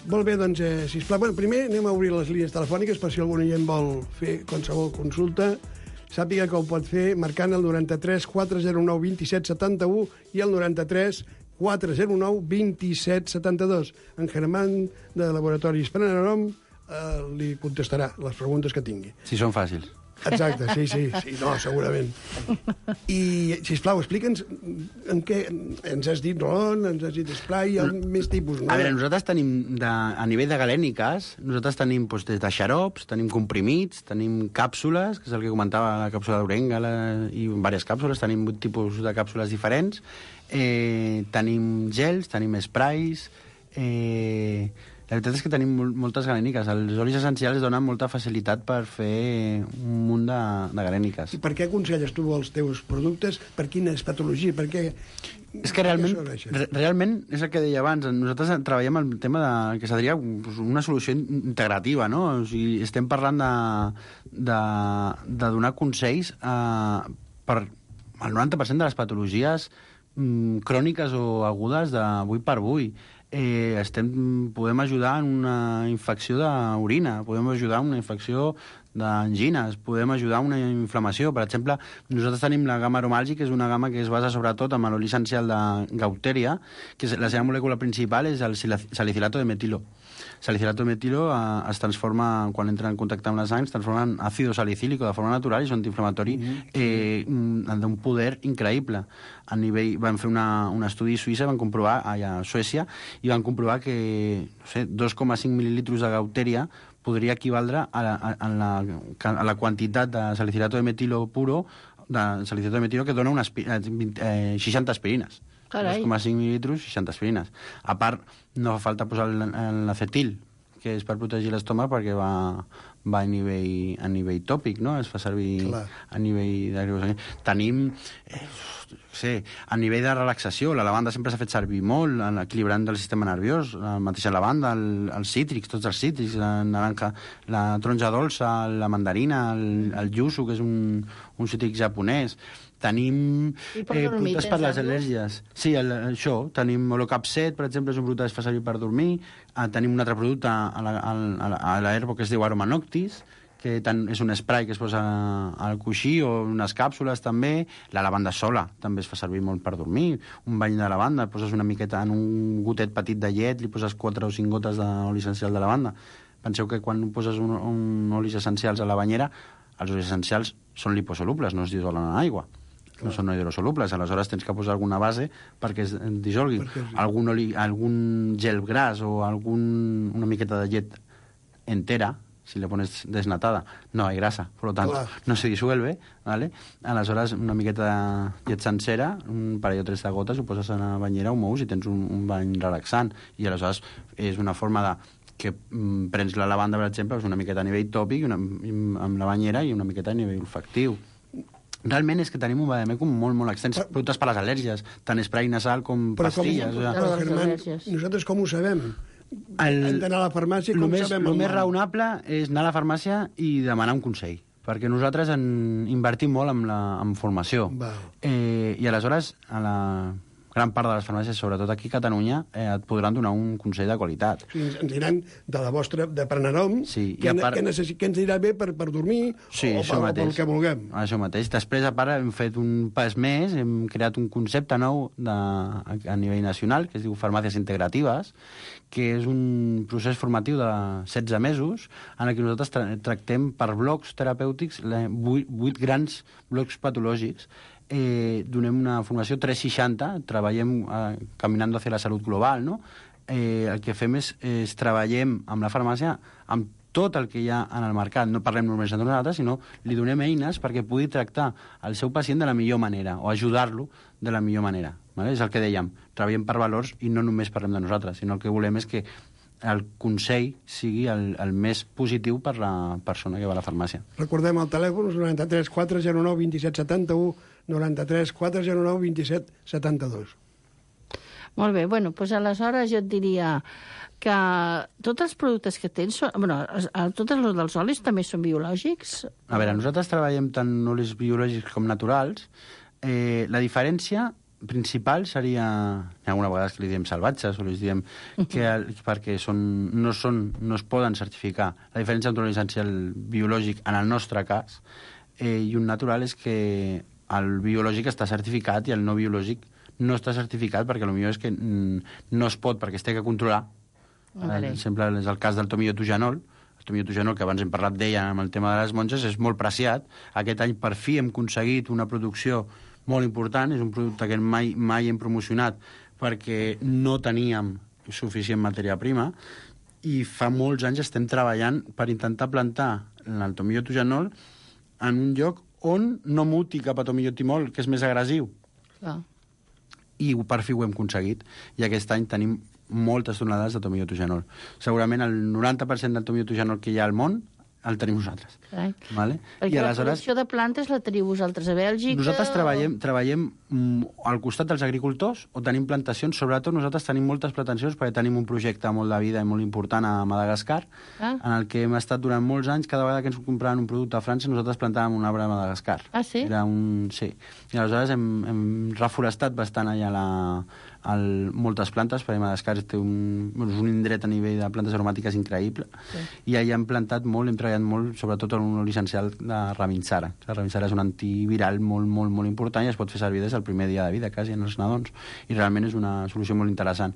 S5: Molt bé, doncs, eh, sisplau. Bueno, primer anem a obrir les línies telefòniques per si algun oient vol fer qualsevol consulta. Sàpiga que ho pot fer marcant el noranta-tres quatre zero nou vint set setanta-u i el noranta-tres quatre zero nou vint set setanta-dos. En Germán, de Laboratoris Panarom, eh, li contestarà les preguntes que tingui.
S2: Si són fàcils.
S5: Exacte, sí, sí, sí, no, segurament. I, sisplau, explica'ns en què ens has dit rolón, ens has dit spray, hi ha més tipus, no?
S2: A veure, nosaltres tenim, de, a nivell de galèniques, nosaltres tenim doncs, des de xarops, tenim comprimits, tenim càpsules, que és el que comentava la càpsula d'orenga i diverses càpsules, tenim vuit tipus de càpsules diferents, eh, tenim gels, tenim sprays, eh, la veritat és que tenim moltes galèniques. Els olis essencials donen molta facilitat per fer un munt de, de galèniques.
S5: I per què aconselles tu els teus productes? Per quines patologies? Per què...
S2: És que realment, re, realment és el que deia abans, nosaltres treballem el tema de, que seria una solució integrativa, no? O sigui, estem parlant de, de, de donar consells eh, per el noranta per cent de les patologies mm, cròniques o agudes d'avui per avui. Eh, estem, podem ajudar en una infecció d'orina, podem ajudar en una infecció d'angines, podem ajudar en una inflamació. Per exemple, nosaltres tenim la gamma aromàlgic, que és una gamma que es basa sobretot en l'oli essencial de Gaulteria, que és, la seva molècula principal és el salicilato de metilo. Salicilato de metilo eh, es transforma, quan entra en contacte amb la sang, es transforma en àcido salicílico de forma natural i és un antiinflamatori eh, d'un poder increïble. A nivell, van fer una, un estudi a Suïssa, van comprovar, allà a Suècia, i van comprovar que no sé, dos coma cinc mil·lilitres de Gaulteria podria equivaldre a la, a, la, a la quantitat de salicilato de metilo puro, de salicilato de metilo, que dona unes, eh, seixanta aspirines. dos coma cinc mil·lilitres, seixanta aspirines. A part, no fa falta posar l'acetil, que és per protegir l'estómac perquè va, va a nivell, a nivell tòpic, no? Es fa servir Clar. a nivell de... Tenim, eh, sé, a nivell de relaxació, la lavanda sempre s'ha fet servir molt, equilibrant el sistema nerviós, la mateixa lavanda, el, els cítrics, tots els cítrics, la naranja, la taronja dolça, la mandarina, el, el yuzu, que és un, un cítric japonès. Tenim eh, productes per les al·lèrgies. Sí, el, això. Tenim Holocapset, per exemple, és un producte que es fa servir per dormir. Uh, tenim un altre producte a la, a la, a l'herbo que es diu Aroma Noctis, que tant, és un spray que es posa al coixí, o unes càpsules també. La lavanda sola també es fa servir molt per dormir. Un bany de lavanda, poses una miqueta en un gotet petit de llet, li poses quatre o cinc gotes d'oli essencial de lavanda. Penseu que quan poses un, un olis essencials a la banyera, els olis essencials són liposolubles, no es dissolen en aigua. no són hidrosolubles, aleshores tens que posar alguna base perquè es dissolgui.
S5: Perquè sí.
S2: Algun, oli, algun gel gras o algun, una miqueta de llet entera, si le pones desnatada, no hay grasa, por lo tanto,
S5: Clar.
S2: no se disuelve, ¿vale? Aleshores, una miqueta de llet sencera, un parell o tres de gotes, ho poses a la banyera, ho mous i tens un, un bany relaxant. I aleshores és una forma de que mm, prens la lavanda, per exemple, és una miqueta a nivell tòpic una, amb la banyera i una miqueta a nivell olfactiu. Realment és que tenim un vademecum molt, molt extens.
S5: Però-
S2: Productes per les al·lèrgies, tant spray nasal com
S5: Però, com,
S2: pastilles. o sigui,
S5: però
S6: les
S5: Germán,
S6: al·lèrgies.
S5: nosaltres com ho sabem?
S2: El-
S5: Hem d'anar a la farmàcia,
S2: el
S5: com
S2: més,
S5: sabem
S2: el
S5: el
S2: més
S5: nom?
S2: raonable és anar a la farmàcia i demanar un consell, perquè nosaltres en invertim molt en, la, en formació.
S5: Val.
S2: Eh, I aleshores, a la gran part de les farmàcies, sobretot aquí a Catalunya, eh, et podran donar un consell de qualitat.
S5: O sigui, ens, ens diran de la vostra, de Prenarom,
S2: Sí, i
S5: què,
S2: a
S5: ne-
S2: part-
S5: què, necessi- què ens dirà bé per, per dormir
S2: Sí,
S5: o,
S2: això
S5: per, o
S2: mateix.
S5: pel que vulguem.
S2: Això mateix. Després, a part, hem fet un pas més, hem creat un concepte nou de, a, a nivell nacional, que es diu farmàcies integratives, que és un procés formatiu de setze mesos en el que nosaltres tra tractem per blocs terapèutics, vuit, vuit grans blocs patològics. Eh, donem una formació tres seixanta, treballem eh, caminant hacia la salut global, no? Eh, el que fem és, és treballem amb la farmàcia amb tot el que hi ha en el mercat. No parlem només de nosaltres, sinó li donem eines perquè pugui tractar el seu pacient de la millor manera o ajudar-lo de la millor manera. Vale? És el que dèiem, treballem per valors i no només parlem de nosaltres, sinó el que volem és que el consell sigui el, el més positiu per la persona que va a la farmàcia.
S5: Recordem el telèfon, és noranta-tres quatre zero nou vint set setanta-u, noranta-tres quatre zero nou vint set setanta-dos.
S6: Molt bé, bueno, doncs aleshores jo et diria que tots els productes que tens, són, bueno, es- a- tots els dels olis també són biològics?
S2: A veure, nosaltres treballem tant olis biològics com naturals. Eh, la diferència principal seria, hi ha alguna vegades que li diem salvatges o li diem que el, perquè són, no, són, no es poden certificar. La diferència entre un oli essencial biològic, en el nostre cas, eh, i un natural és que el biològic està certificat i el no biològic no està certificat perquè potser és que mm, no es pot perquè es té que controlar.
S6: Vale.
S2: Per exemple, és el cas del tomiotogenol. El tomiotogenol, que abans hem parlat d'ella amb el tema de les monges, és molt preciat. Aquest any, per fi, hem aconseguit una producció molt important. És un producte que mai, mai hem promocionat perquè no teníem suficient matèria prima i fa molts anys estem treballant per intentar plantar el tomiotogenol en un lloc on no muti cap a tomiotimol, que és més agressiu.
S6: Clar.
S2: I per fi ho hem aconseguit. I aquest any tenim moltes tonelades de tomiotogenol. Segurament el noranta per cent del tomiotogenol que hi ha al món el tenim nosaltres.
S6: Carai.
S2: Vale?
S6: Perquè
S2: I
S6: la
S2: aleshores
S6: producció de plantes la teniu vosaltres a Bèlgica?
S2: nosaltres
S6: o-
S2: treballem, treballem mm, al costat dels agricultors o tenim plantacions. Sobretot nosaltres tenim moltes plantacions perquè tenim un projecte molt de vida i molt important a Madagascar,
S6: Ah.
S2: en el que hem estat durant molts anys. Cada vegada que ens compraven un producte a França, nosaltres plantàvem un arbre a Madagascar.
S6: Ah, sí?
S2: Era un... Sí. I aleshores hem, hem reforestat bastant allà la, el, moltes plantes, perquè Madagascar té un, bueno, és un indret a nivell de plantes aromàtiques increïble, sí. I allà hem plantat molt, hem treballat molt, sobretot en un oli essencial de Ravinsara. La Ravinsara és un antiviral molt, molt, molt important i es pot fer servir des del primer dia de vida, quasi, en els nadons, i realment és una solució molt interessant.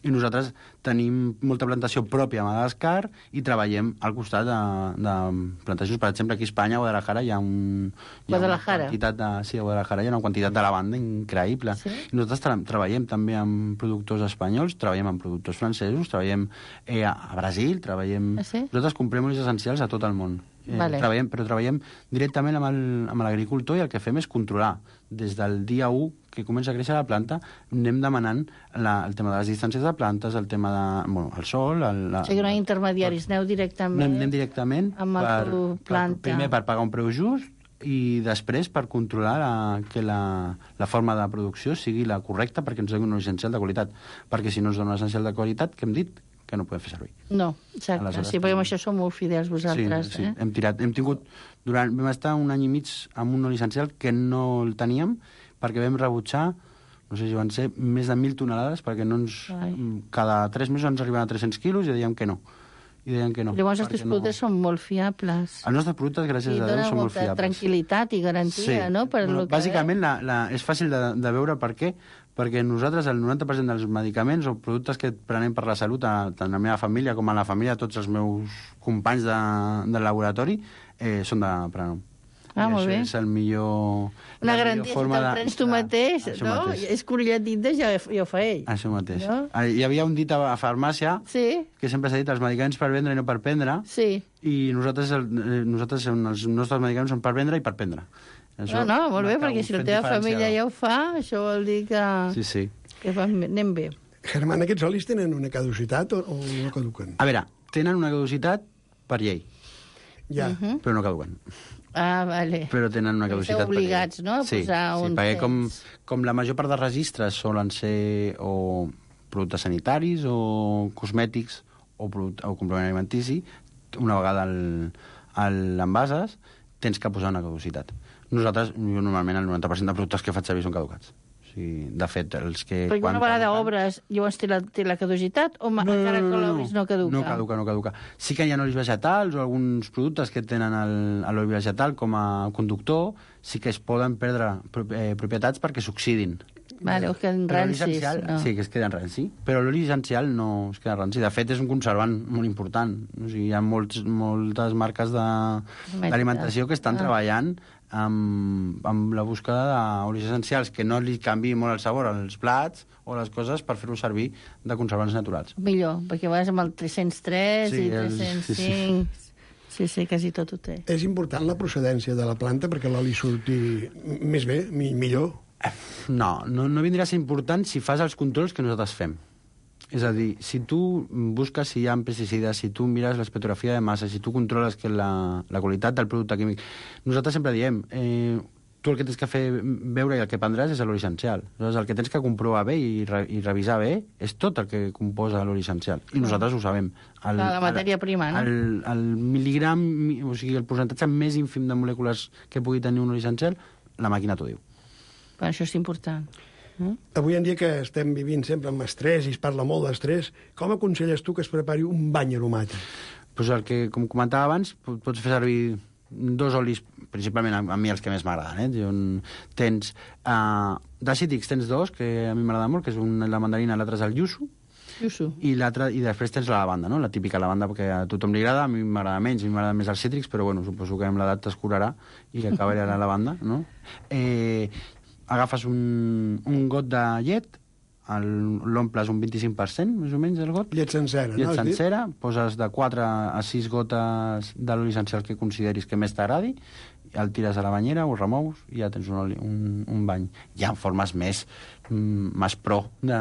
S2: I nosaltres tenim molta plantació pròpia a Madagascar i treballem al costat de, de plantacions. Per exemple, aquí a Espanya, a Guadalajara, hi ha, un, hi ha una
S6: Guadalajara.
S2: quantitat de, sí, a Guadalajara hi ha una quantitat de lavanda increïble.
S6: Sí?
S2: I nosaltres tra treballem també amb productors espanyols, treballem amb productors francesos, treballem eh, a a Brasil, treballem...
S6: Ah, sí?
S2: Nosaltres comprem olis essencials a tot el món. Eh,
S6: Vale.
S2: treballem, però treballem directament amb el- amb l'agricultor i el que fem és controlar. Des del dia u que comença a créixer la planta, anem demanant la, el tema de les distàncies de plantes, el tema de... Bueno, el sol... El, la,
S6: O sigui, no hi ha intermediaris, aneu directament...
S2: anem, anem directament
S6: amb el
S2: per,
S6: teu
S2: per,
S6: planta.
S2: primer per pagar un preu just i després per controlar la, que la, la forma de producció sigui la correcta perquè ens doni un essencial de qualitat. Perquè si no ens dona un essencial de qualitat, que hem dit que no podem fer servir.
S6: No, exacte.
S2: Aleshores,
S6: Sí, perquè amb això sou molt fidels vosaltres.
S2: sí, sí.
S6: Eh?
S2: Hem tirat, hem tingut, durant, vam estar un any i mig amb un oli essencial que no el teníem perquè vam rebutjar, no sé si van ser, més de mil tonelades perquè no ens,
S6: Ai.
S2: cada tres mesos ens arribaven a tres-cents quilos i dèiem que no. I deien que no.
S6: Llavors els
S2: perquè
S6: teus productes són molt fiables.
S2: Els nostres productes, gràcies
S6: I
S2: a Déu,
S6: dona
S2: són molt
S6: molta
S2: fiables.
S6: tranquil·litat i garantia, no? Per
S2: bueno,
S6: lo que
S2: bàsicament la, la, és fàcil de, de veure per què, perquè nosaltres el noranta per cent dels medicaments o productes que prenem per la salut, a, tant a la meva família com a la família de tots els meus companys de, del laboratori, eh, són de Prenom.
S6: Ah,
S2: I
S6: molt
S2: això
S6: bé.
S2: és el millor...
S6: Una
S2: la
S6: garantia,
S2: millor
S6: si
S2: forma
S6: te'l
S2: de-
S6: prens tu
S2: de-
S6: mateix,
S2: això
S6: no?
S2: mateix.
S6: És corolletita, ja, ja ho fa ell.
S2: Això mateix.
S6: No?
S2: Ah, Hi havia un dit a a farmàcia
S6: Sí,
S2: que sempre s'ha dit els medicaments per vendre i no per prendre,
S6: sí.
S2: i nosaltres, el, eh, nosaltres els nostres medicaments són per vendre i per prendre.
S6: No, no, molt bé, perquè si la teva família ja ho fa, això vol dir que,
S2: Sí, sí.
S6: que va- anem bé.
S5: Germán, aquests olis tenen una caducitat o, o no caduquen?
S2: A veure, tenen una caducitat per llei,
S5: Ja.
S6: Mhm.
S2: però no caduquen.
S6: Ah, vale.
S2: Però tenen una
S6: Esteu
S2: caducitat per llei.
S6: obligats, no, a
S2: sí,
S6: posar
S2: sí,
S6: un
S2: perquè com,
S6: temps.
S2: com la major part de registres solen ser o productes sanitaris o cosmètics o, product, o complement alimentici, una vegada el- el- l'envases, tens que posar una caducitat. Nosaltres, jo normalment el noranta per cent de productes que faig servir són caducats. O sigui, de fet, els que...
S6: Perquè
S2: quan
S6: una vegada
S2: caduquen-
S6: obres, llavors té la, té la caducitat o no, encara que l'obris no caduca?
S2: No caduca, no caduca. Sí que hi ha olis vegetals o alguns productes que tenen el- l'oli vegetal com a conductor, sí que es poden perdre pro- eh, propietats perquè s'oxidin.
S6: Vale, o que en
S2: Però l'oli
S6: rancis.
S2: essencial,
S6: No.
S2: sí, que es queden ranci. Però l'oli essencial no es queda ranci. De fet, és un conservant molt important. O sigui, hi ha molts, moltes marques de- d'alimentació que estan
S6: Ah.
S2: treballant amb, amb la búsqueda d'olis essencials, que no li canviï molt el sabor als plats o les coses per fer-ho servir de conservants naturals.
S6: Millor, perquè vas amb el tres-cents tres
S2: Sí,
S6: i
S2: el-
S6: tres-cents cinc...
S2: sí,
S6: Sí, sí, quasi tot ho té.
S5: És important la procedència de la planta perquè l'oli surti més bé, mi- millor?
S2: No, no, no vindrà a ser important si fas els controls que nosaltres fem. És a dir, si tu busques si hi ha pesticides, si tu mires l'espectrografia de massa, si tu controles que la, la qualitat del producte químic... Nosaltres sempre diem, eh, tu el que tens que fer veure i el que prendràs és l'oli essencial. Llavors, el que tens que comprovar bé i, re, i revisar bé és tot el que composa l'oli essencial. I nosaltres ho sabem. El,
S6: Clar, la matèria prima, no?
S2: El, el mil·ligram, o sigui, el percentatge més ínfim de molècules que pugui tenir un oli essencial, la màquina t'ho diu.
S6: Però això és important. Mm?
S5: Avui en dia que estem vivint sempre amb estrès i es parla molt d'estrès, com aconselles tu que es prepari un bany aromàtic?
S2: Pues el que, com comentava abans, po- pots fer servir dos olis, principalment a, a mi els que més m'agraden. Eh? Jo, tens, uh, de cítrics tens dos, que a mi m'agrada molt, que és un la mandarina i l'altre és el yuzu,
S6: Yusu.
S2: i l'altre i després tens la lavanda, no? La típica lavanda, perquè a tothom li agrada, a mi m'agrada menys, a mi m'agrada més els cítrics, però bueno, suposo que amb l'edat t'escurarà i que acabarà la lavanda, no? Eh, agafes un, un got de llet, el- l'omples un vint-i-cinc per cent, més o menys, el got,
S5: Llet sencera,
S2: llet
S5: no? has dit?
S2: sencera, poses de quatre a sis gotes de l'oli essencial que consideris que més t'agradi, el tires a la banyera, ho remous i ja tens un, oli, un, un bany. Hi ha formes més, mm, més pro de,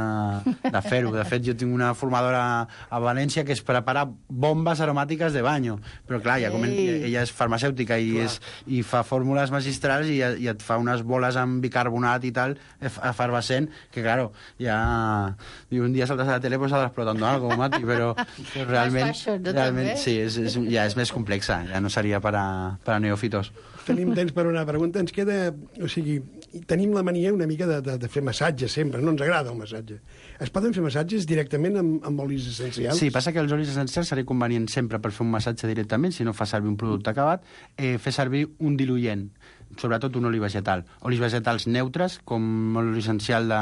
S2: de fer-ho. De fet, jo tinc una formadora a València que es prepara bombes aromàtiques de banyo. Però clar, ja comen,
S6: Ei.
S2: ella és farmacèutica i, és, i fa fórmules magistrals i, i et fa unes boles amb bicarbonat i tal, ef- efervescent, que claro, ja... I un dia saltes a la tele pues estás explotando algo, Mati, però, però realment,
S6: fashion, no,
S2: realment
S6: també?
S2: sí, és, és, ja és més complexa, ja no seria per a, per a neòfitos.
S5: Tenim temps per una pregunta. Ens queda... O sigui, tenim la mania una mica de, de, de fer massatge sempre. No ens agrada el massatge. Es poden fer massatges directament amb, amb olis essencials?
S2: Sí, passa que els olis essencials seria convenient sempre per fer un massatge directament, si no fa servir un producte acabat, eh, fer servir un diluent, sobretot un oli vegetal. Olis vegetals neutres, com l'oli essencial de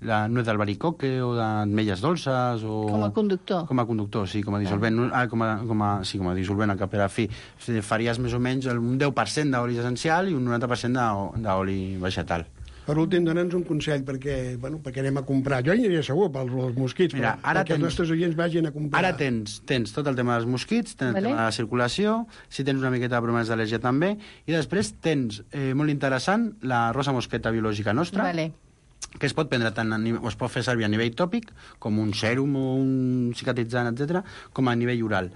S2: la nuez d'albaricoque o d'ametlles dolces o...
S6: Com a conductor.
S2: Com a conductor, sí, com a dissolvent. Ah, com a, com a, sí, com a dissolvent, al cap i a la fi. O sigui, faries més o menys un deu per cent d'oli essencial i un noranta per cent de- d'oli vegetal.
S5: Per últim, dona'ns un consell, perquè, bueno, perquè anem a comprar. Jo hi aniria segur pels els mosquits,
S2: Mira,
S5: però
S2: ara
S5: perquè
S2: tens-
S5: els nostres oients vagin a comprar.
S2: Ara tens, tens tot el tema dels mosquits, tens
S6: Vale.
S2: el tema de la circulació, si tens una miqueta de problemes d'al·lèrgia també, i després tens, eh, molt interessant, la rosa mosqueta biològica nostra,
S6: Vale.
S2: que es pot prendre tant a nivell, o es pot fer servir a nivell tòpic, com un sèrum o un cicatritzant, etcètera, com a nivell oral.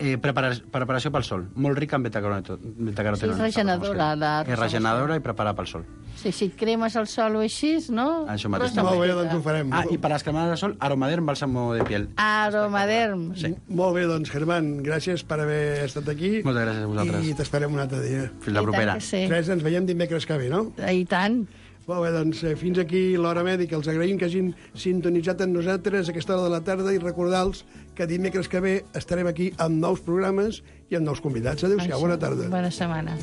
S2: Eh, prepara preparació pel sol, molt rica en beta-carotenoides.
S6: Sí, és regeneradora, la
S2: És regeneradora i prepara pel sol.
S6: Sí, si et cremes el sol o així, no?
S2: Això mateix.
S6: Rosa
S5: Molt bé,
S6: mosqueta.
S5: doncs ho farem.
S2: Ah, i per a les cremades de sol, Aromaderm bàlsamo de piel.
S6: Aromaderm.
S2: Sí.
S5: Molt bé, doncs, Germán, gràcies per haver estat aquí.
S2: Moltes gràcies a vosaltres.
S5: I t'esperem un altre dia.
S2: Fins la
S6: I tant
S2: propera.
S6: que sí.
S5: Res, ens veiem dimecres que ve, no?
S6: I tant.
S5: Molt bé, doncs eh, fins aquí l'Hora Mèdica. Els agraïm que hagin sintonitzat amb nosaltres a aquesta hora de la tarda i recordar-los que dimecres que ve estarem aquí amb nous programes i amb nous convidats. Adéu-siau, bona tarda.
S6: Bona setmana.